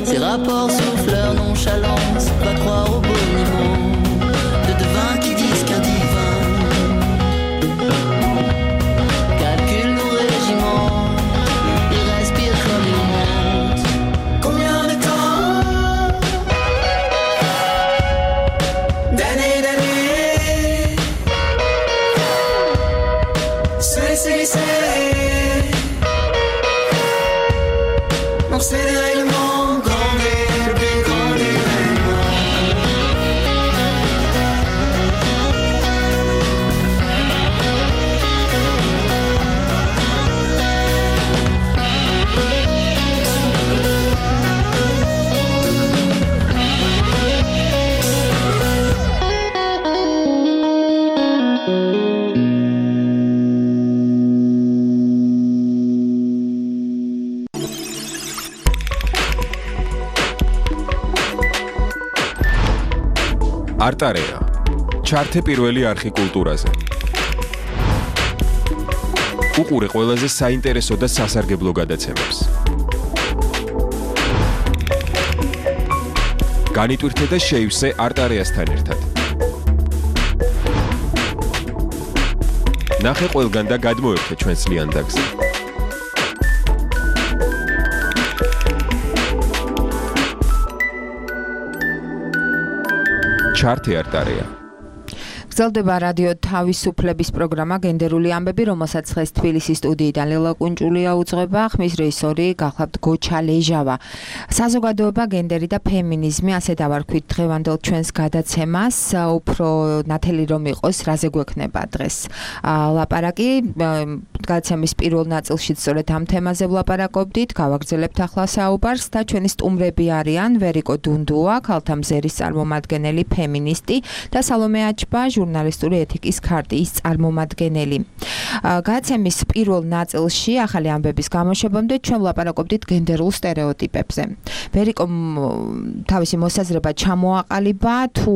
ces rapports souffleurs nonchalants face va croire au boniment de devins qui disent qu'un divin calcule nos régiments et respire comme il monte. Combien de temps, d'années, d'années, se laisser glisser dans ces dérèglements, grandir, le plus grand dérèglement. არტარეა ჩართე პირველი არხი კულტურაზე. უყურე ყველაზე საინტერესო და სასარგებლო გადაცემებს. განიტვირთე და შეივსე არტარეასთან ერთად. ნახე ყველგან და გადმოერთე ჩვენს ლიანდაგზე. ჩართე არტარეა. გრძელდება რადიო თავისუფლების პროგრამა გენდერული ამბები, რომელსაც დღეს თბილისის სტუდიიდან ლელა კუნჭულია უძღვება, ხმის რეჟისორი გახლავთ გოჩა ლეჟავა. საზოგადოება, გენდერი და ფემინიზმი, ასე დავარქვით დღევანდელ ჩვენს გადაცემას, უფრო ნათელი რომ იყოს, რაზე გვექნება დღეს ლაპარაკი. გადაცემის პირველ ნაწილში სწორედ ამ თემაზე ვლაპარაკობდით, გავაგრძელებთ ახლა საუბარს და ჩვენი სტუმრები არიან ვერიკო დუნდუა, ქალთა მზერის წარმომადგენელი, ფემინისტი და სალომე აჩბა, ჟურნალისტური ეთიკის ქარტიის წარმომადგენელი. გადაცემის პირველ ნაწილში ახალი ამბების გამოშვებამდე ჩვენ ვლაპარაკობდით გენდერულ სტერეოტიპებზე. ვერიკო თავისი მოსაზრება ჩამოაყალიბა თუ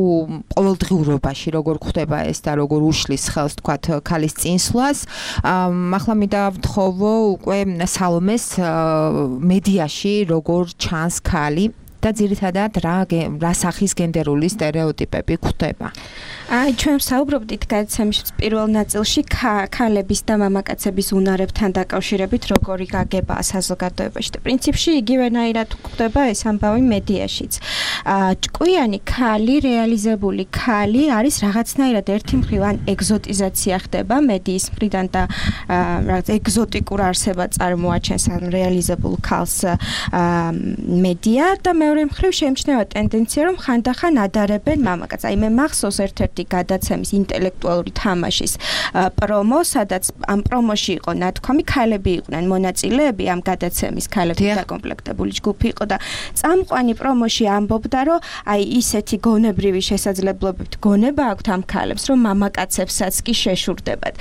ყოველდღიურობაში როგორ ხდება ეს და როგორ უშლის ხელს თქვათ ქალის წინსვლას. ახლა მინდა ვთხოვო უკვე სალომეს მედიაში როგორ ჩანს ქალი და ძირითადად რა რა სახის გენდერული სტერეოტიპები გვხვდება. აი ჩვენ საუბრობდით გადაცემის პირველ ნაწილში ქალების და მამაკაცების უნარებთან დაკავშირებით როგორი გაგება საზოგადოებაში და პრინციპში იგივენაირად გვხვდება ეს ამბავი მედიაშიც. ჭკვიანი ქალი, რეალიზებული ქალი არის რაღაცნაირად ერთი მხრივ ან ეგზოტიზაცია ხდება მედიის მხრიდან და რაღაც ეგზოტიკურ არსებად წარმოაჩენს ან რეალიზებულ ქალს მედია და მეორე მხრივ შეიმჩნევა ტენდენცია რომ ხანდახან ადარებენ მამაკაცს. აი მე მახსოვს ერთ-ერთი გადაცემის ინტელექტუალური თამაშის პრომო, სადაც ამ პრომოში იყო ნათქვამი, ქალები იყვნენ მონაწილეები ამ გადაცემის, ქალებით დაკომპლექტებული ჯგუფი იყო და წამყვანი პრომოში ამბობდა, რომ აი ისეთი გონებრივი შესაძლებლობებით გონება აქვთ ამ ქალებს, რომ მამაკაცებსაც კი შეშურდებათ.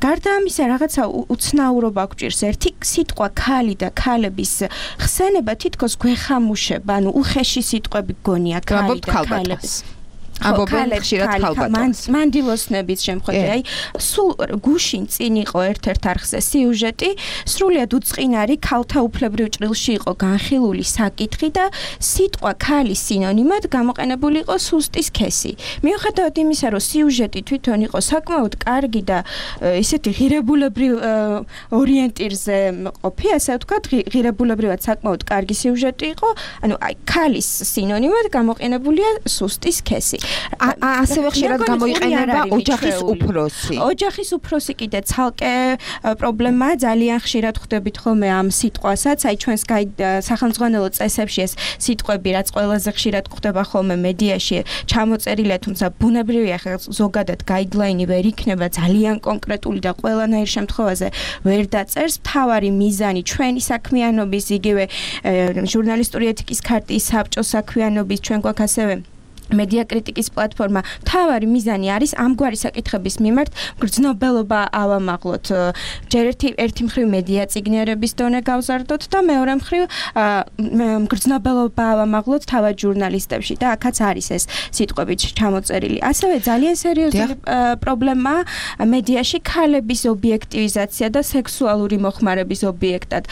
გარდა ამისა, რაღაცა უცნაურობა გვჭირს. ერთი სიტყვა ქალი და ქალების ხსენება თითქოს გვეხამუშება, ანუ უხეში სიტყვები გონია ქალი და ქალების. ამბობენ ხშირად ქალბატონს. მანდილოსნების შემთხვევაში, აი, სულ გუშინ წინ იყო ერთ-ერთ არხზე სიუჟეტი, სრულიად უწყინარი ქალთა უფლებრივ ჭრილში იყო განხილული საკითხი და სიტყვა ქალის სინონიმად გამოყენებული იყო სუსტის ქესი. მიუხედავად იმისა, რომ სიუჟეტი თვითონ იყო საკმაოდ კარგი და ისეთი ღირებულებრივ ორიენტირზე ყოფი, ასე ვთქვათ, ღირებულებრივად საკმაოდ კარგი სიუჟეტი იყო, ანუ აი, ქალის სინონიმად გამოყენებულია სუსტის ქესი. ასევე ხშირად გამოიყენება ოჯახის უფროსი. ოჯახის უფროსი კიდე ცალკე პრობლემაა, ძალიან ხშირად ხვდებით ხოლმე ამ სიტყვასაც, აი ჩვენს სახელმძღვანელო წესებში ეს სიტყვები, რაც ყველაზე ხშირად ხვდება ხოლმე მედიაში, ჩამოწერილია, თუმცა ბუნებრივია, ხა ზოგადად გაიდლაინი ვერ იქნება ძალიან კონკრეტული და ყველანაირ შემთხვევაზე ვერ დაწერს. მთავარი მიზანი ჩვენი საქმიანობის, იგივე ჟურნალისტური ეთიკის ქარტიის საბჭოს საქმიანობის, ჩვენ გვაქვს ასევე მედია კრიტიკის პლატფორმა თავარი მიზანი არის ამგვარი საკითხების მიმართ გრძნობელობა ავამაღლოთ. ჯერ ერთი ერთი მხრივ მედია წიგნიერების დონე გავზარდოთ და მეორე მხრივ გრძნობელობა ავამაღლოთ თავად ჟურნალისტებში და აქაც არის ეს სიტყვები ჩამოწერილი. ასევე ძალიან სერიოზული პრობლემა მედიაში ქალების ობიექტივიზაცია და სექსუალური მოხმარების ობიექტად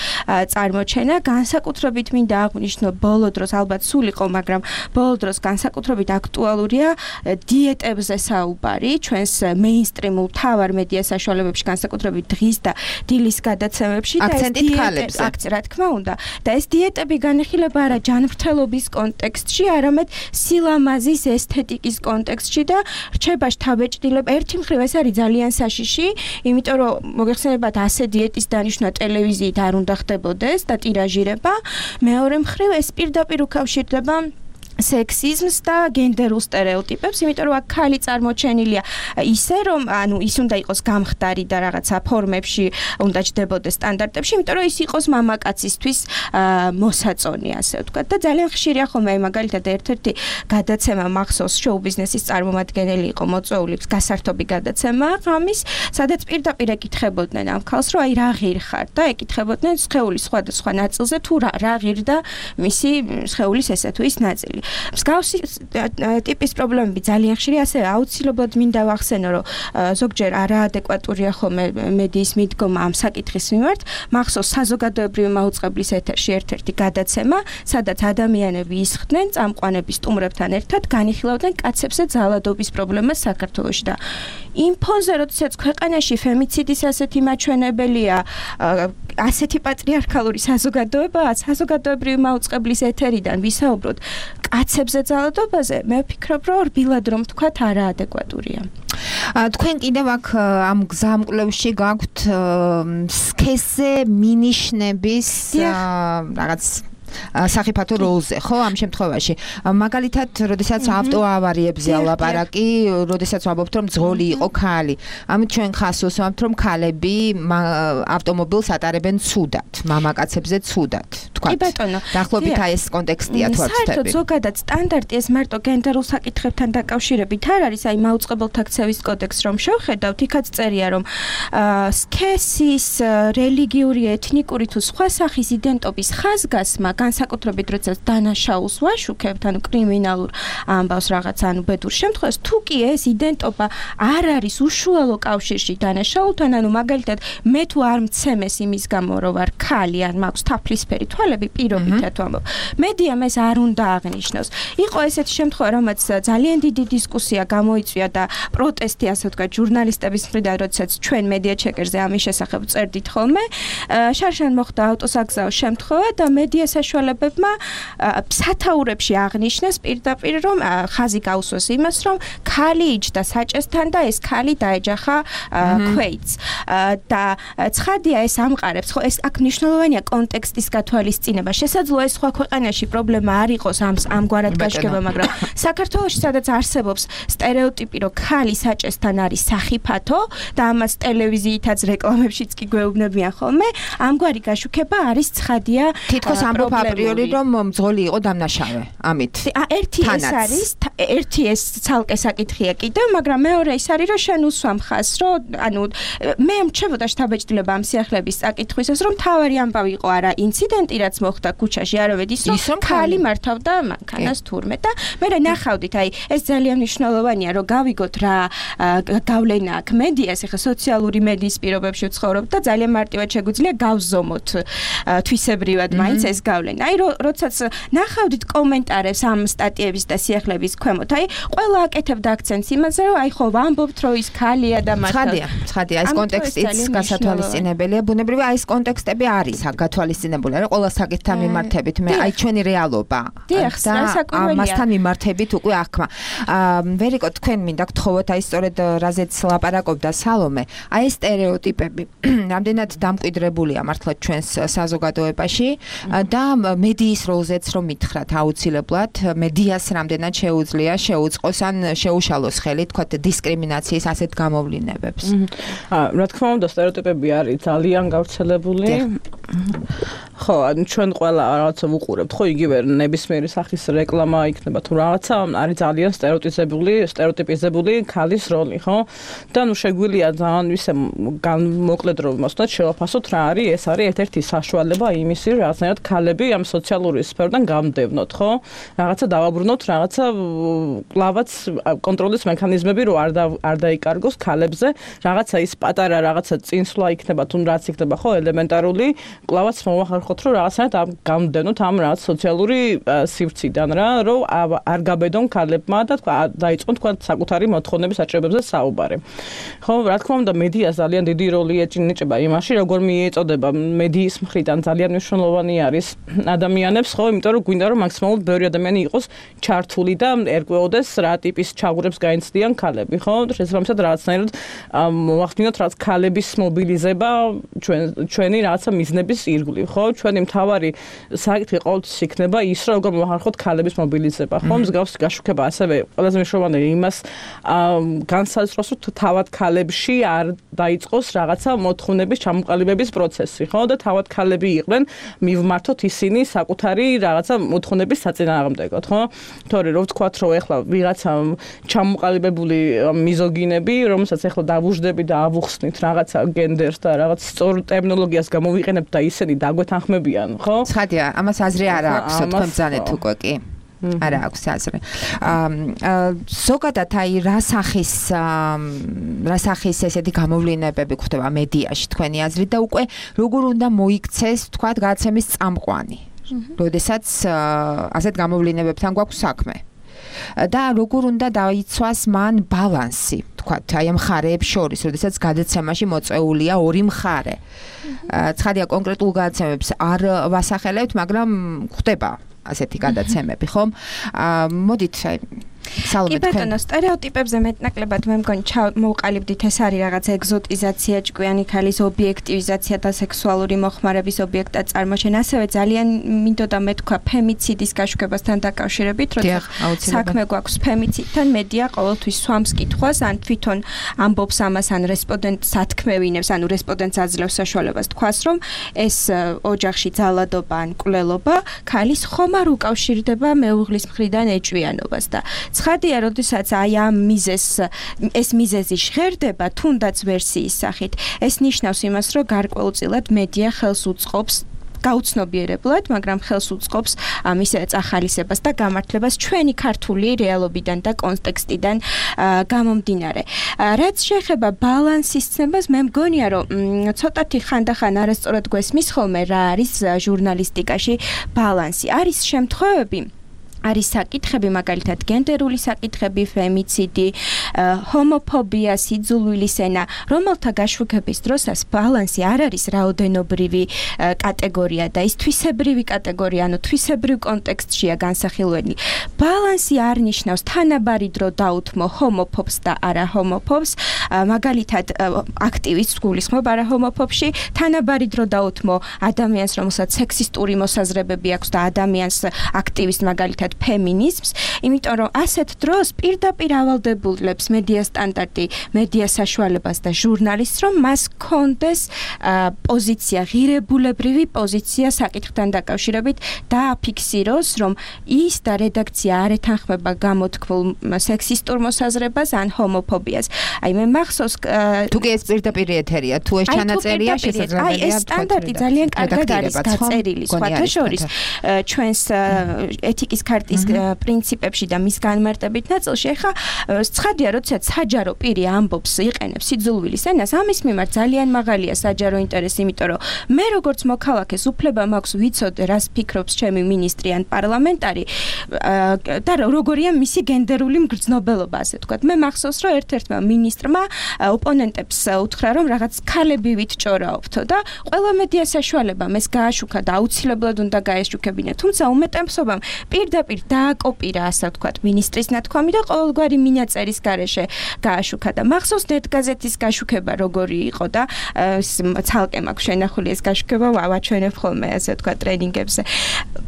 წარმოჩენა. განსაკუთრებით მინდა აღვნიშნო ბოლო დროს ალბათ სულ იყო, მაგრამ ბოლო დროს განსაკუთრებით აქტუალურია დიეტებზე საუბარი ჩვენს მეინსტრიმულ თავარ მედია საშუალებებში, განსაკუთრებით დღის და დილის გადაცემებში და ეს დიეტები, აქცენტი რა თქმა უნდა, და ეს დიეტები განიხილება არა ჯანმრთელობის კონტექსტში, არამედ სილამაზის ესთეტიკის კონტექსტში და რჩება შთაბეჭდილება. ერთი მხრივ ეს არის ძალიან საშიში, იმიტომ რომ მოგეხსენებათ ასე დიეტის დანიშვნა ტელევიზიით არ უნდა ხდებოდეს და ტირაჟირება. მეორე მხრივ ეს პირდაპირ უკავშირდება სექსიზმს და გენდერულ სტერეოტიპებს, იმიტომ რომ აქ ქალი წარმოჩენილია ისე, რომ ანუ ის უნდა იყოს გამხდარი და რაღაცა ფორმებში უნდა ჯდებოდეს სტანდარტებში, იმიტომ რომ ის იყოს მამაკაცისთვის მოსაწონი, ასე ვთქვათ. და ძალიან ხშირია ხოლმე, მაგალითად ერთ-ერთი გადაცემა მახსოვს, შოუ ბიზნესის წარმომადგენელი იყო მოწვეული, გასართობი გადაცემა ღამის, სადაც პირდაპირ ეკითხებოდნენ ამ ქალს, რომ აი რა ღირხარ და ეკითხებოდნენ სხეულის სხვადასხვა ნაწილზე თუ რა რა ღირდა მისი სხეულის ესე თუ ის ნაწილი. მსგავსი ტიპის პრობლემები ძალიან ხშირია, ასე აუცილებლად მინდა ვახსენო, რომ ზოგჯერ არაადეკვატურია ხოლმე მედიის მიდგომა ამ საკითხის მიმართ. მახსოვს საზოგადოებრივი მაუწყებლის ეთერში ერთ-ერთი გადაცემა, სადაც ადამიანები ისხდნენ წამყვანების სტუმრებთან ერთად, განიხილავდნენ კაცებზე ძალადობის პრობლემას საქართველოში და იმ ფონზე, როდესაც ქვეყანაში ფემიციდის ასეთი მაჩვენებელია, ასეთი პატრიარქალური საზოგადოებაა, საზოგადოებრივი მაუწყებლის ეთერიდან ვისაუბროთ კაცებზე ძალადობაზე, მე ვფიქრობ, რომ რბილად რომ თქვათ არაადეკვატურია. თქვენ კიდევ აქ ამ გზამკვლევში გაქვთ სქესზე მინიშნების რაღაც სახიფათო როლზე, ხო, ამ შემთხვევაში. მაგალითად, როდესაც ავტოავარიებზე ალაპარაკი, როდესაც ვამბობთ, რომ ძღოლი იყო ქალი. ამით ჩვენ ხას ვუსვამთ, რომ ქალები ავტომობილს ატარებენ ცუდად, მამაკაცებზე ცუდად, თქვათ. კი ბატონო. დაახლოებით აი ეს კონტექსტია თუ არ ვცდები. საერთოდ ზოგადად სტანდარტი ეს მარტო გენდერულ საკითხებთან დაკავშირებით არ არის, აი მაუწყებელთა ქცევის კოდექსს რომ შევხედავთ, იქაც წერია, რომ სქესის, რელიგიური, ეთნიკური თუ სხვა სახის იდენტობის ხაზგასმა განსაკუთრებით როდესაც დანაშაულს ვაშუქებთ, ანუ კრიმინალურ ამბავს რაღაც, ანუ ბედურ შემთხვევაში, თუ კი ეს იდენტობა არ არის უშუალო კავშირში დანაშაულთან, ანუ მაგალითად მე თუ არ მცემეს იმის გამო, რომ ვარ ქალი, ან მაქვს თაფლისფერი თვალები, პირობითად ვამბობ. მედიამ ეს არ უნდა აღნიშნოს. იყო ესეთი შემთხვევა, რომელიც ძალიან დიდი დისკუსია გამოიწვია და პროტესტი, ასე ვთქვათ, ჟურნალისტების მხრიდან, როდესაც ჩვენ მედია ჩეკერზე ამის შესახებ წერდით ხოლმე, შარშან მოხდა ავტოსაგზაო შემთხვევა და მედია საშუალებებმა სათაურებში აღნიშნეს პირდაპირ, რომ ხაზი გაუსვეს იმას, რომ ქალი იჯდა საჭესთან და ეს ქალი დაეჯახა ქვეითს. და ცხადია ეს ამყარებს, ხო, ეს აქ მნიშვნელოვანია კონტექსტის გათვალისწინება. შესაძლოა ეს სხვა ქვეყანაში პრობლემა არ იყოს ამ ამგვარად გაშქება, მაგრამ საქართველოში სადაც არსებობს სტერეოტიპი, რომ ქალი საჭესთან არის სახიფათო და ამას ტელევიზიითაც რეკლამებშიც კი გვეუბნებიან ხოლმე, ამგვარი გაშუქება არის ცხადია თითქოს ამბობ აპრიორი, რომ მძღოლი იყო დამნაშავე. ამით. ერთი ეს არის, ერთი ეს ცალკე საკითხია კიდევ, მაგრამ მეორე ის არის, რომ შენ უსვამ ხაზს, რომ ანუ მე მრჩებოდა შთაბეჭდილება ამ სიახლეების საკითხვისას, რომ თავარი ამბავი იყო არა ინციდენტი, რაც მოხდა ქუჩაში, არამედ ის, რომ ქალი მართავდა მანქანას თურმე და მე ნახავდით, აი ეს ძალიან მნიშვნელოვანია, რომ გავიგოთ რა გავლენა აქვს მედიას, ეხა სოციალური მედიის პირობებში ვცხოვრობ და ძალიან მარტივად შეგვიძლია გავზომოთ თვისებრივად მაინც ეს გავლენა. აი როდესაც ნახავდით კომენტარებს ამ სტატიების და სიახლეების ქვემოთ, აი ყველა აკეთებდა აქცენტს იმაზე, რომ აი ხო ვამბობთ, რომ ის ქალია და მართლა. ცხადია, ცხადია, ეს კონტექსტიც გასათვალისწინებელია. ბუნებრივია აი ეს კონტექსტები არის გათვალისწინებული, რა ყველა საკითხთან მიმართებით, მე აი ჩვენი რეალობა. და ამასთან მიმართებით უკვე აღქმა. ვერიკო, თქვენ მინდა გთხოვოთ, აი სწორედ რაზეც ლაპარაკობდა სალომე, აი ეს სტერეოტიპები რამდენად დამკვიდრებულია მართლა ჩვენს საზოგადოებაში და მედიის როლზეც რომ მითხრათ აუცილებლად, მედიას რამდენად შეუძლია შეუწყოს ან შეუშალოს ხელი, თქვათ, დისკრიმინაციის ასეთ გამოვლინებებს. რა თქმა უნდა, სტერეოტიპები არის ძალიან გავრცელებული. ხო, ჩვენ ყველა რაღაცა ვუყურებთ, ხო, იგივე ნებისმიერი სახის რეკლამა იქნება თუ რაღაცა, არის ძალიან სტერეოტიპიზებული, სტერეოტიპიზებული ქალის როლი, ხო? და ნუ შეგვიძლია ძალიან ისე მოკლედ რომ მოსწონთ შევაფასოთ რა არის, ეს არის ერთ-ერთი საშუალება იმისი, რაღაცნაირად ქალები ამ სოციალური სფეროდან გამდევნოთ, ხო? რაღაცა დავაბრუნოთ, რაღაცა კლავაც კონტროლის მექანიზმები რო არ არ დაიკარგოს ქალებზე, რაღაცა ის პატარა რაღაცა წინსვლა იქნება თუ რაც იქნება, ხო, ელემენტარული, კლავაც მოვახერხოთ, რომ რაღაცნაირად გამდევნოთ ამ რაღაც სოციალური სივრციდან რა, რომ არ გაბედონ ქალებმა და თქვა დაიწყონ თქვა საკუთარი მოთხოვნების აჭრებებზე საუბარი. ხო, რა თქმა უნდა, მედიას ძალიან დიდი როლი ეჭინება იმაში, როგორ მიეწოდება მედიის მხრიდან ძალიან მნიშვნელოვანი არის ადამიანებს, ხო, იმიტომ რომ გვინდა რომ მაქსიმალურად ბევრი ადამიანი იყოს ჩართული და ერკვეოდეს რა ტიპის ჩაღურებს გაინცდიან ქალები, ხო? შესაბამისად რაღაცნაირად მოახდინოთ რაც ქალების მობილიზება ჩვენ ჩვენი რაღაცა მიზნების ირგვლივ, ხო? ჩვენი მთავარი საკითხი ყოველთვის იქნება ის, რომ როგორ მოახერხოთ ქალების მობილიზება, ხო? მსგავსი გაშუქება ასევე ყველაზე მნიშვნელოვანი იმას განსაზღვროს, რომ თავად ქალებში არ დაიწყოს რაღაცა მოთხოვნების ჩამოყალიბების პროცესი, ხო? და თავად ქალები იყვნენ მივმართოთ ისინი საკუთარი რაღაცა მოთხოვნების საწინააღმდეგოდ, ხო? თორე რომ ვთქვათ, რომ ეხლა ვიღაცა ჩამოყალიბებული მიზოგინები, რომელსაც ეხლა დავუждები და ავუხსნით რაღაცა გენდერს და რაღაც სწორ ტერმინოლოგიას გამოვიყენებთ და ისინი დაგვეთანხმებიან, ხო? ცხადია, ამას აზრი არ აქვს, თქვენ ბრძანეთ უკვე კი. არა აქვს აზრი. აა ზოგადად აი რა სახის რა სახის ესეთი გამოვლენებები გვხდება მედიაში თქვენი აზრით და უკვე როგორ უნდა მოიქცეს თქვა გადაცემის წამყვანი. როდესაც ასეთ გამოვლენებებთან გვაქვს საქმე. და როგორ უნდა დაიცვას მან ბალანსი, თქვათ, აი ამ მხარეებს შორის, როდესაც გადაცემაში მოწეულია ორი მხარე. ცხადია, კონკრეტულ გადაცემებს არ ვასახელებთ, მაგრამ ხდება ასეთი გადაცემები, ხომ? მოდით, აი კი ბატონო, სტერეოტიპებზე მეტნაკლებად მე მგონი მოვყალიბდით, ეს არის რაღაც ეგზოტიზაცია, ჭკვიანი ქალის ობიექტივიზაცია და სექსუალური მოხმარების ობიექტად წარმოშენა. ასევე ძალიან მინდოდა მე თქვა ფემიციდის გაშუქებასთან დაკავშირებით, როცა საქმე გვაქვს ფემიციდთან, მედია ყოველთვის swams კითხვას, ან თვითონ ამბობს ამას, ან რესპონდენტს ათქმევინებს, ანუ რესპონდენტს აძლევს საშუალებას თქვას, რომ ეს ოჯახში ძალადობა ან კვლელობა ქალის ხომ არ უკავშირდება მეუღლის მხრიდან ეჭვიანობას და ცხადია, როდესაც აი ამ მიზეს ეს მიზეზი ჟღერდება, თუნდაც ვერსიის სახით, ეს ნიშნავს იმას, რომ გარკვეულწილად მედია ხელს უწყობს გაუცნობიერებლად, მაგრამ ხელს უწყობს ამის წახალისებას და გამართლებას ჩვენი ქართული რეალობიდან და კონტექსტიდან გამომდინარე. რაც შეეხება ბალანსის ცნებას, მე მგონია, რომ ცოტათი ხანდახან არასწორად გვესმის ხოლმე რა არის ჟურნალისტიკაში ბალანსი. არის შემთხვევები არის საკითხები, მაგალითად გენდერული საკითხები, ფემიციდი, ჰომოფობია, სიძულვილის ენა, რომელთა გაშუქების დროსაც ბალანსი არ არის რაოდენობრივი კატეგორია და ის თვისებრივი კატეგორია, ანუ თვისებრივ კონტექსტშია განსახილველი. ბალანსი არ ნიშნავს თანაბარი დრო დაუთმო ჰომოფობს და არა ჰომოფობს, მაგალითად აქტივისტს გულისხმობ არა ჰომოფობში, თანაბარი დრო დაუთმო ადამიანს, რომელსაც სექსისტური მოსაზრებები აქვს და ადამიანს აქტივისტს მაგალითად ფემინიზმს, იმიტომ რომ ასეთ დროს პირდაპირ ავალდებულებს მედია სტანდარტი, მედია საშუალებას და ჟურნალისტს, რომ მას კონდეს პოზიცია, ღირებულებრივი პოზიცია საკითხთან დაკავშირებით და აფიქსიროს, რომ ის და რედაქცია არ ეთანხმება გამოთქმულ სექსისტურ მოსაზრებას ან ჰომოფობიას. აი მე მახსოვს თუ კი ეს პირდაპირ ეთერია, თუ ეს ჩანაწერია შესაძლებელია. აი ეს სტანდარტი ძალიან კარგად არის გაწერილი, სხვათა შორის ჩვენს ეთიკის ქარტის პრინციპებში და მის განმარტებით ნაწილში. ეხლა ცხადია, როდესაც საჯარო პირი ამბობს, იყენებს სიძულვილის ენას, ამის მიმართ ძალიან მაღალია საჯარო ინტერესი, იმიტომ რომ მე როგორც მოქალაქეს უფლება მაქვს ვიცოდე, რას ფიქრობს ჩემი მინისტრი ან პარლამენტარი და როგორია მისი გენდერული მგრძნობელობა, ასე ვთქვათ. მე მახსოვს, რომ ერთ-ერთმა მინისტრმა ოპონენტებს უთხრა, რომ რაღაც ქალები ვიტჭორაობთო და ყველა მედია საშუალებამ ეს გააშუქა და აუცილებლად უნდა გაეშუქებინა. თუმცა უმეტესობამ პირდაპირ პირდაპირ დააკოპირა, ასე ვთქვათ, მინისტრის ნათქვამი და ყოველგვარი მინაწერის გარეშე გააშუქა და მახსოვს ნეტგაზეთის გაშუქება როგორი იყო და ცალკე მაქვს შენახული ეს გაშუქება, ვაჩვენებ ხოლმე, ასე ვთქვათ, ტრენინგებზე.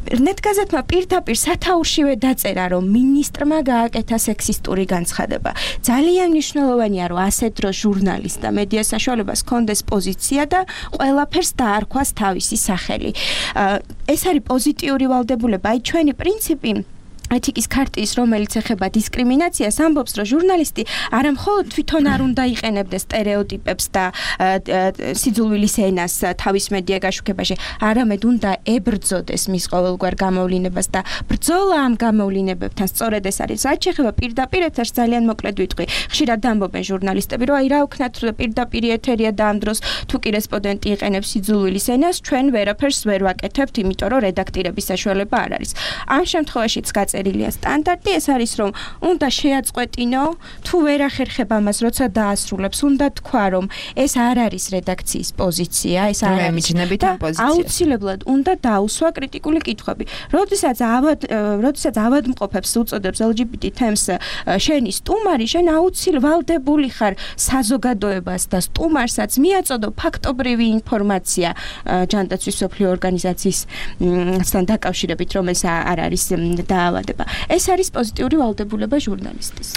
ნეტგაზეთმა პირდაპირ სათაურშივე დაწერა, რომ მინისტრმა გააკეთა სექსისტური განცხადება. ძალიან მნიშვნელოვანია, რომ ასეთ დროს ჟურნალისტ და მედია საშუალებას ჰქონდეს პოზიცია და ყველაფერს დაარქვას თავისი სახელი. ეს არის პოზიტიური ვალდებულება. აი ჩვენი პრინციპი ეთიკის ქარტიის, რომელიც ეხება დისკრიმინაციას, ამბობს, რომ ჟურნალისტი არა მხოლოდ თვითონ არ უნდა იყენებდეს სტერეოტიპებს და სიძულვილის ენას თავის მედია გაშუქებაში, არამედ უნდა ებრძოდეს მის ყოველგვარ გამოვლინებას და ბრძოლა ამ გამოვლინებებთან სწორედ ეს არის. რაც შეეხება პირდაპირ ეთერს, ძალიან მოკლედ ვიტყვი. ხშირად ამბობენ ჟურნალისტები, რომ აი რა ვქნათ, პირდაპირ ეთერია და ამ დროს თუ კი რესპონდენტი იყენებს სიძულვილის ენას, ჩვენ ვერაფერს ვერ ვაკეთებთ, იმიტომ რომ რედაქტირების საშუალება არ არის. ამ შემთხვევაშიც წერილია სტანდარტი, ეს არის, რომ უნდა შეაწყვეტინო, თუ ვერ ახერხებ ამას, როცა დაასრულებს, უნდა თქვა, რომ ეს არ არის რედაქციის პოზიცია, ეს არ არის მიჯნებით ამ პოზიციას. აუცილებლად უნდა დაუსვა კრიტიკული კითხვები. როდესაც ავად, როდესაც ავადმყოფებს უწოდებს ელ ჯი ბი ტი თემს შენი სტუმარი, შენ აუცილებლად ხარ საზოგადოებას და სტუმარსაც მიაწოდო ფაქტობრივი ინფორმაცია ჯანდაცვის მსოფლიო ორგანიზაციისთან დაკავშირებით, რომელიც არ არის დაავადება. ეს არის პოზიტიური ვალდებულება ჟურნალისტის.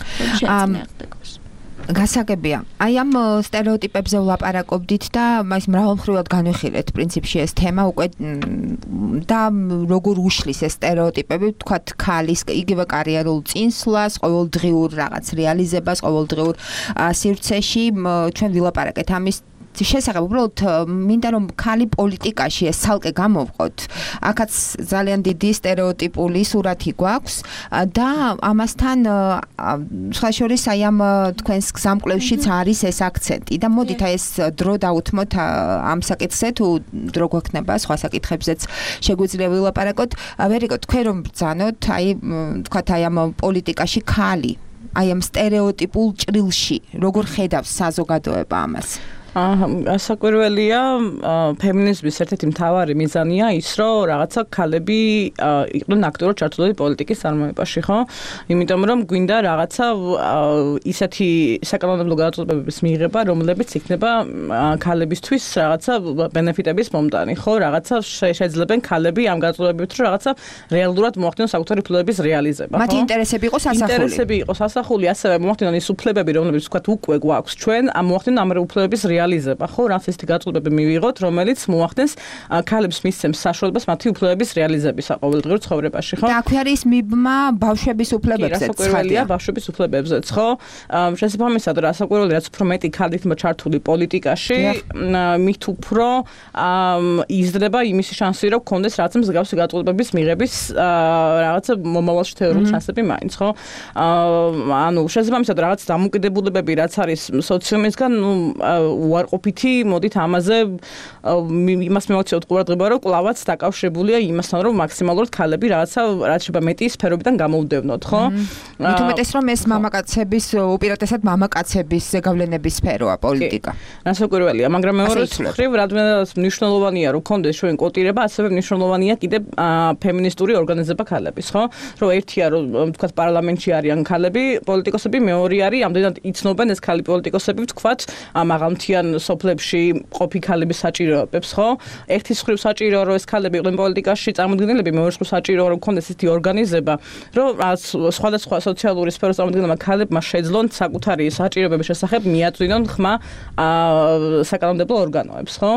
გასაგებია. აი ამ სტერეოტიპებზე ვლაპარაკობდით და მას მრავალმხრივად განვიხილეთ პრინციპში ეს თემა უკვე და როგორ უშლის ეს სტერეოტიპები, თქვათ, ქალის იგივე კარიერულ წინსვლას, ყოველდღიურ რაღაც რეალიზებას, ყოველდღიურ სივრცეში ჩვენ ვილაპარაკეთ ამის შესაძლოა უბრალოდ მინდა რომ ქალი პოლიტიკაში ეს ცალკე გამოვყოთ. აქაც ძალიან დიდი სტერეოტიპული სურათი გვაქვს და ამასთან სხვა შორის აი ამ თქვენს გზამკვლევშიც არის ეს აქცენტი და მოდით აი ეს დრო დავუთმოთ ამ საკითხზე თუ დრო გვექნება სხვა საკითხებზეც შეგვიძლია ვილაპარაკოთ. ვერიკო, თქვენ რომ ბრძანოთ აი თქვათ აი ამ პოლიტიკაში ქალი აი ამ სტერეოტიპულ ჭრილში როგორ ხედავს საზოგადოება ამას? ასაკვირველია, ფემინიზმის ერთ-ერთი მთავარი მიზანია ის, რომ რაღაცა ქალები იყვნენ აქტიურად ჩართულები პოლიტიკის წარმოებაში, ხო? იმიტომ რომ გვინდა რაღაცა ისეთი საკანონმდებლო გადაწყვეტილებების მიღება, რომლებიც იქნება ქალებისთვის რაღაცა ბენეფიტების მომტანი, ხო? რაღაცა შეძლებენ ქალები ამ გადაწყვეტილებებით, რომ რაღაცა რეალურად მოახდინონ საკუთარი უფლებების რეალიზება, ხო? მათი ინტერესები იყოს ასახული. ინტერესები იყოს ასახული, ასევე მოახდინონ ის უფლებები, რომლებიც ვთქვათ უკვე გვაქვს ჩვენ, ამ მოახდინონ ამ უფლებების რეალიზება, ხო, რაც ესეთი გაწყვეტილება მივიღოთ, რომელიც მოახდენს ქალებს მისცემს საშუალებას მათი უფლებების რეალიზებისა ყოველდღიურ ცხოვრებაში, ხო? და აქვე არის მიბმა ბავშვების უფლებებზეც. რასაკვირველია ბავშვების უფლებებზეც, ხო? შესაბამისად, რასაკვირველია, რაც უფრო მეტი ქალი იქნება ჩართული პოლიტიკაში, მით უფრო იზრდება იმისი შანსი, რომ გქონდეს რაღაც მსგავსი გაწყვეტილების მიღების რაღაცა მომავალში თეორიული შანსები მაინც, ხო? ანუ შესაბამისად, რაღაც დამოკიდებულებები, რაც არის სოციუმისგან, ნუ უარყოფითი, მოდით ამაზე იმას მივაქციოთ ყურადღება, რომ კლავაც დაკავშირებულია იმასთან, რომ მაქსიმალურად ქალები რაღაცა რაც შეიძლება მეტი სფეროებიდან გამოვდევნოთ, ხო? მით უმეტეს რომ ეს მამაკაცების უპირატესად მამაკაცების ზეგავლენების სფეროა პოლიტიკა. რასაკვირველია, მაგრამ მეორე მხრივ, რადგანაც მნიშვნელოვანია, რომ კონდეს ჩვენ კოტირება, ასევე მნიშვნელოვანია კიდე ფემინისტური ორგანიზება ქალების, ხო? რომ ერთია, რომ თქვათ პარლამენტში არიან ქალები, პოლიტიკოსები, მეორე არის, ამდენად იცნობენ ეს ქალი პოლიტიკოსები, თქვათ, მაღალმთიან სოფლებში ყოფი ქალების საჭიროებებს, ხო? ერთის მხრივ საჭიროა, რომ ეს ქალები იყვნენ პოლიტიკაში წარმოდგენილები, მეორე მხრივ საჭიროა, რომ ქონდეს ესეთი ორგანიზება, რომ სხვადასხვა სოციალური სფეროს წარმოდგენილმა ქალებმა შეძლონ საკუთარი საჭიროებების შესახებ მიაწვინონ ხმა საკანონმდებლო ორგანოებს, ხო?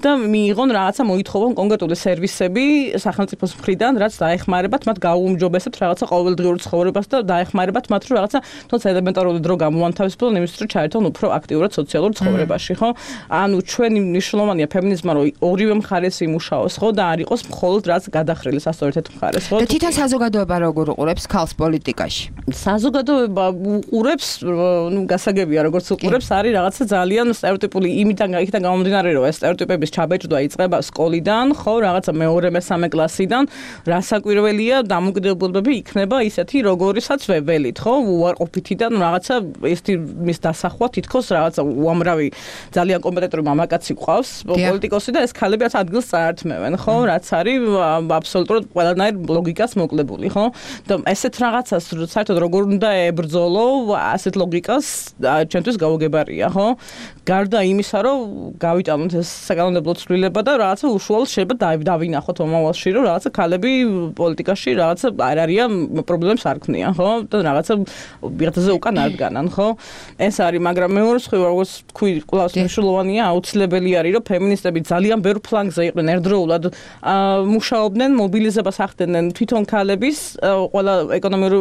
და მიიღონ რაღაცა მოითხოვონ კონკრეტული სერვისები სახელმწიფოს მხრიდან, რაც დაეხმარებათ მათ გაუმჯობესებთ რაღაცა ყოველდღიურ ცხოვრებას და დაეხმარებათ მათ, რომ რაღაცა თუნდაც ელემენტარული დრო გამოანთავისუფლონ იმისთვის, რომ ჩაერთონ უფრო აქტიურად სოციალურ ცხოვრებაში, ხო? ანუ ჩვენი მნიშვნელოვანია ფემინიზმმა, რომ ორივე მხარეს იმუშაოს, ხო? და არ იყოს მხოლოდ რაც გადახრილი სასწორეთ ერთ მხარეს, ხო? და თვითონ საზოგადოება როგორ უყურებს ქალს პოლიტიკაში? საზოგადოება უყურებს, ნუ გასაგებია, როგორც უყურებს, არის რაღაცა ძალიან სტერეოტიპული იმიდან იქიდან გამომდინარე, რომ ეს სტერეოტიპების ჩაბეჭდვა იწყება სკოლიდან, ხო? რაღაცა მეორე მესამე კლასიდან, რასაკვირველია, დამოკიდებულებები იქნება ისეთი, როგორისაც ვეველით, ხო? უარყოფითიდან რაღაცა ეს მის დასახვა თითქოს რაღაცა უამრავი ძალიან კომპეტენტური მამაკაცი ყავს პოლიტიკოსი და ეს ქალები რაც ადგილს წაართმევენ, ხო, რაც არის აბსოლუტურად ყველანაირ ლოგიკას მოკლებული, ხო? და ესეთ რაღაცას საერთოდ როგორ უნდა ებრძოლო, ასეთ ლოგიკას ჩვენთვის გაუგებარია, ხო? გარდა იმისა, რომ გავიტანოთ ეს საკანონმდებლო ცვლილება და რაღაცა უშუალოდ შეიძლება დავინახოთ მომავალში, რომ რაღაცა ქალები პოლიტიკაში რაღაცა არ არიან პრობლემებს არ ქმნიან, ხო? და რაღაცა ვიღაცაზე უკან არ დგანან, ხო? ეს არის, მაგრამ მეორე მხრივ, როგორც თქვი, კლავს მნიშვნელოვანია, აუცილებელი არის, რომ ფემინისტები ძალიან ბევრ ფლანგზე იყვნენ ერთდროულად, მუშაობდნენ, მობილიზებას ახდენენ თვითონ ქალების ყველა ეკონომიკური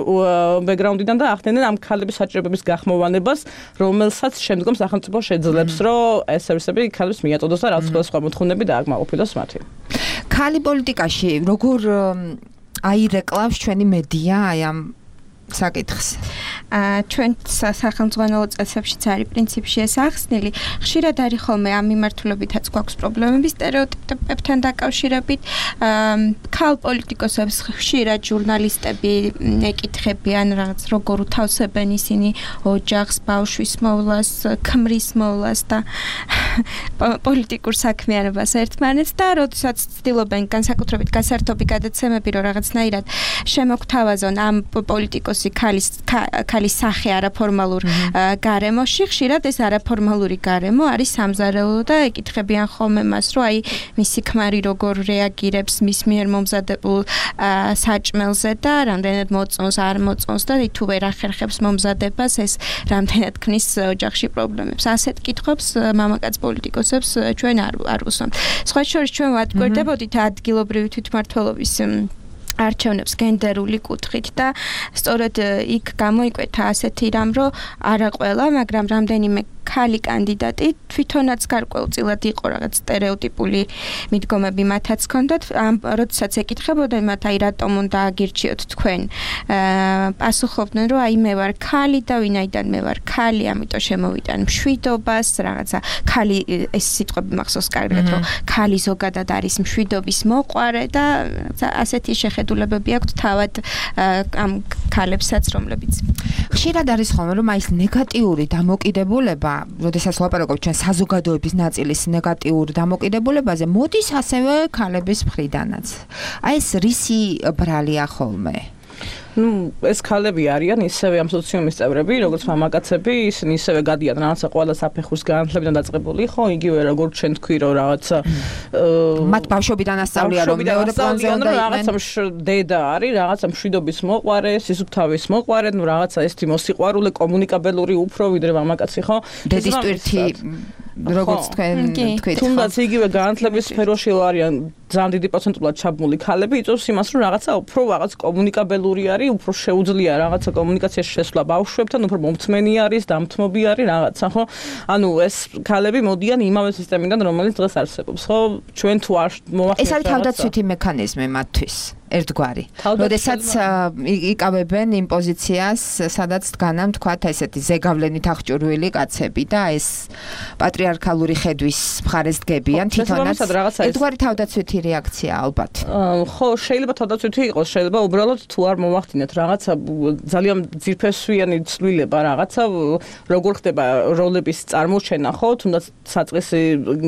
ბექგრაუნდიდან და ახდენენ ამ ქალების საჭიროებების გახმოვანებას, რომელსაც შემდგომ სახელმწიფო შეძლებს, რომ ეს სერვისები ქალებს მიაწოდოს და რაც სხვა მოთხოვნები დააკმაყოფილოს მათი. ქალი პოლიტიკაში როგორ აირეკლავს ჩვენი მედია აი ამ საკითხს. აა ჩვენ სახელმწიფო წესებშიც არის პრინციპში ეს ახსნილი. ხშირად არის ხოლმე ამ მიმართულებითაც გვაქვს პრობლემები სტერეოტიპებთან დაკავშირებით. ქალ პოლიტიკოსებს ხშირად ჟურნალისტები ეკითხებიან რაღაც როგორ უთავსებენ ისინი ოჯახს, ბავშვის მოვლას, ქმრის მოვლას და პოლიტიკურ საქმიანობას ერთმანეთს და როდესაც ცდილობენ განსაკუთრებით გასართობი გადაცემები რომ რაღაცნაირად შემოგთავაზონ ამ პოლიტიკოს ქალის ქალის სახე არაფორმალურ გარემოში ხშირად ეს არაფორმალური გარემო არის სამზარეულო და ეკითხებიან ხოლმე მას რომ აი მისი ქმარი როგორ რეაგირებს მის მიერ მომზადებულ საჭმელზე და რამდენად მოწონს არ მოწონს და თუ ვერ ახერხებს მომზადებას ეს რამდენად ქმნის ოჯახში პრობლემებს ასეთ კითხვებს მამაკაც პოლიტიკოსებს ჩვენ არ არ უსვამთ სხვა შორის ჩვენ ვატკვირდებოდით ადგილობრივი თვითმმართველობის არჩევნებს გენდერული კუთხით და სწორედ იქ გამოიკვეთა ასეთი რამ, რომ არა ყველა, მაგრამ რამდენიმე ქალი კანდიდატი თვითონაც გარკვეულწილად იყო რაღაც სტერეოტიპული მიდგომები მათაც ჰქონდათ. ამ როდესაც ეკითხებოდნენ მათ აი რატომ უნდა აგირჩიოთ თქვენ, პასუხობდნენ რომ აი მე ვარ ქალი და ვინაიდან მე ვარ ქალი, ამიტომ შემოვიტან მშვიდობას, რაღაცა ქალი ეს სიტყვები მახსოვს კარგად, რომ ქალი ზოგადად არის მშვიდობის მოყვარე და ასეთი შეხედულებები აქვს თავად ამ ქალებსაც, რომლებიც ხშირად არის ხოლმე რომ აი ეს ნეგატიური დამოკიდებულება როდესაც ლაპარაკობთ ჩვენ საზოგადოების ნაწილის ნეგატიურ დამოკიდებულებაზე, მოდის ასევე ქალების მხრიდანაც. აი ეს რისი ბრალია ხოლმე? ნუ ეს ქალები არიან ისევე ამ სოციუმის წევრები, როგორც მამაკაცები, ისინი ისევე გადიან რაღაცა ყველა საფეხურის განათლებიდან დაწყებული, ხო, იგივე როგორც ჩვენ თქვი რომ რაღაცა მათ ბავშვობიდან ასწავლია რომ მეორე პლანზე უნდა იყვნენ. რაღაცა დედა არის, რაღაცა მშვიდობის მოყვარე, სისუფთავის მოყვარე, ნუ რაღაცა ესეთი მოსიყვარულე, კომუნიკაბელური უფრო ვიდრე მამაკაცი, ხო? დედის ტვირთი როგორც თქვენ თქვით. თუნდაც იგივე განათლების სფეროში არიან ძალიან დიდი პროცენტულად ჩაბმული ქალები, იწევს იმას, რომ რაღაცა უფრო რაღაც კომუნიკაბელური არის, უფრო შეუძლია რაღაცა კომუნიკაციაში შესვლა ბავშვებთან, უფრო მომთმენი არის, დამთმობი არის რაღაცა, ხო? ანუ ეს ქალები მოდიან იმავე სისტემიდან, რომელიც დღეს არსებობს, ხო? ჩვენ თუ არ მოვახდინოთ ეს არის თავდაცვითი მექანიზმი მათთვის. ერთგვარი. როდესაც იკავებენ იმ პოზიციას, სადაც დგანან თქვათ ესეთი ზეგავლენით აღჭურვილი კაცები და ეს პატრიარქალური ხედვის მხარეს დგებიან თვითონაც. ერთგვარი თავდაცვითი რეაქცია ალბათ. ხო, შეიძლება თავდაცვითი იყოს, შეიძლება უბრალოდ თუ არ მოვახდინეთ რაღაცა ძალიან ძირფესვიანი ცვლილება, რაღაცა როგორ ხდება როლების წარმოჩენა, ხო, თუნდაც საწყისი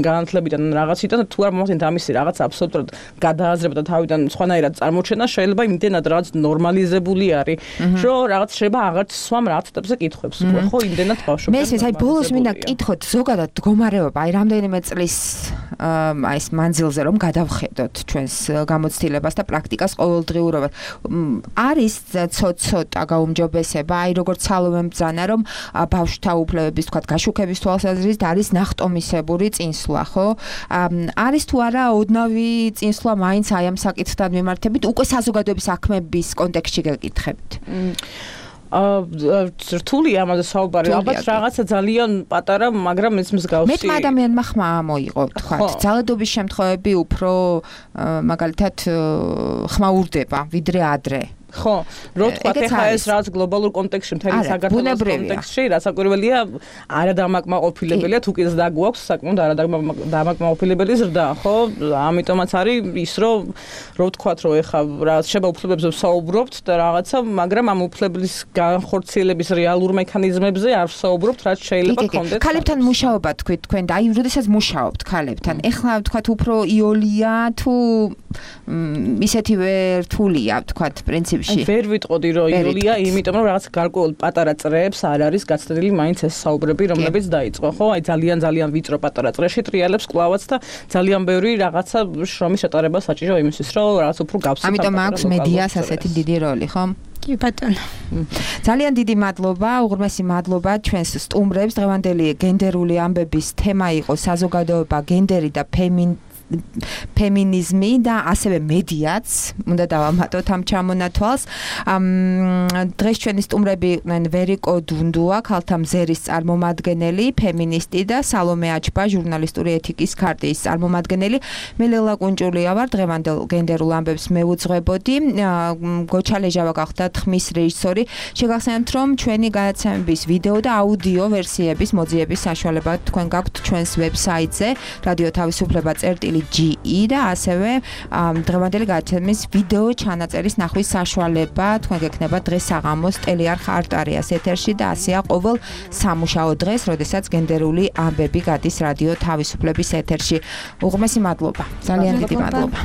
განათლებიდან რაღაციდან თუ არ მოვახდინეთ ამისი რაღაცა აბსოლუტურად გადააზრება და თავიდან სხვანაირად მოჩენა შეიძლება იმდენად რაღაც ნორმალიზებული არის, რომ რაღაც შეიძლება აღარც სვამ რაღაცებზე კითხვებს, ხო, იმდენად ბავშვობიდან. მე ისე, აი ბოლოს მინდა კითხოთ ზოგადად მდგომარეობა, აი რამდენიმე წლის აი ეს მანძილზე რომ გადავხედოთ ჩვენს გამოცდილებას და პრაქტიკას ყოველდღიურობას. არის ცოტ-ცოტა გაუმჯობესება, აი როგორც სალომე ბრძანა, რომ ბავშვთა უფლებების თქვა გაშუქების თვალსაზრისით არის ნახტომისებური წინსვლა, ხო? არის თუ არა ოდნავი წინსვლა მაინც აი ამ საკითხთან მიმართებით უკვე საზოგადოების საქმეების კონტექსტში გეკითხებით. აა რთული ამაზე საუბარი, ალბათ რაღაცა ძალიან პატარა, მაგრამ ეს მსგავსი. მეტმა ადამიანმა ხმა მოიღო, თქვათ, ძალადობის შემთხვევები უფრო მაგალითად ხმა ურდება, ვიდრე ადრე. ხო, რო თქვა ხა ეს რაც გლობალურ კონტექსტში მთელი საქართველოს კონტექსტში, რასაკვირველია, არადამაკმაყოფილებელია, თუ კიდეც დაგვაქვს საკმაოდ არადამაკმაყოფილებელი ზრდა, ხო? ამიტომაც არის ის, რომ რო თქვა, რომ ეხა რა შეება უფლებებზე ვსაუბრობთ და რაღაცა, მაგრამ ამ უფლების განხორციელების რეალურ მექანიზმებზე არ ვსაუბრობთ, რაც შეიძლება გქონდეთ. ქალებთან მუშაობა თქვით თქვენ და აი, როდესაც მუშაობთ ქალებთან, ეხლა თქვათ უფრო იოლია თუ ისეთივე რთულია, თქვათ, პრინციპში. ვერ ვიტყოდი, რომ იოლია, იმიტომ რომ რაღაც გარკვეულ პატარა წრეებს არ არის გაცდილი მაინც ეს საუბრები, რომლებიც დაიწყო, ხო? აი ძალიან ძალიან ვიწრო პატარა წრეში ტრიალებს კლავაც და ძალიან ბევრი რაღაცა შრომის ატარება საჭირო იმისთვის, რომ რაღაც უფრო გავსწრაფო. ამიტომ აქვს მედიას ასეთი დიდი როლი, ხო? კი ბატონო. ძალიან დიდი მადლობა, უღრმესი მადლობა ჩვენს სტუმრებს. დღევანდელი გენდერული ამბების თემა იყო საზოგადოება, გენდერი და ფემინ ფემინიზმი და ასევე მედიაც, უნდა დავამატოთ ამ ჩამონათვალს. დღეს ჩვენი სტუმრები იყვნენ ვერიკო დუნდუა, ქალთა მზერის წარმომადგენელი, ფემინისტი და სალომე აჩბა, ჟურნალისტური ეთიკის ქარტიის წარმომადგენელი. მე ლელა კუნჭულია ვარ, დღევანდელ გენდერულ ამბებს მევუძღვებოდი. გოჩა ლეჟავა გახდა ხმის რეჟისორი. შეგახსენებთ, რომ ჩვენი გადაცემების ვიდეო და აუდიო ვერსიების მოძიების საშუალება თქვენ გაქვთ ჩვენს ვებსაიტზე რადიო თავისუფლება წერტილი ჯი ი და ასევე დღევანდელი გადაცემის ვიდეო ჩანაწერის ნახვის საშუალება თქვენ გექნება დღეს საღამოს ტელეარხ არტარიას ეთერში და ასეა ყოველ სამუშაო დღეს, როდესაც გენდერული ამბები გადის რადიო თავისუფლების ეთერში. უღრმესი მადლობა. ძალიან დიდი მადლობა.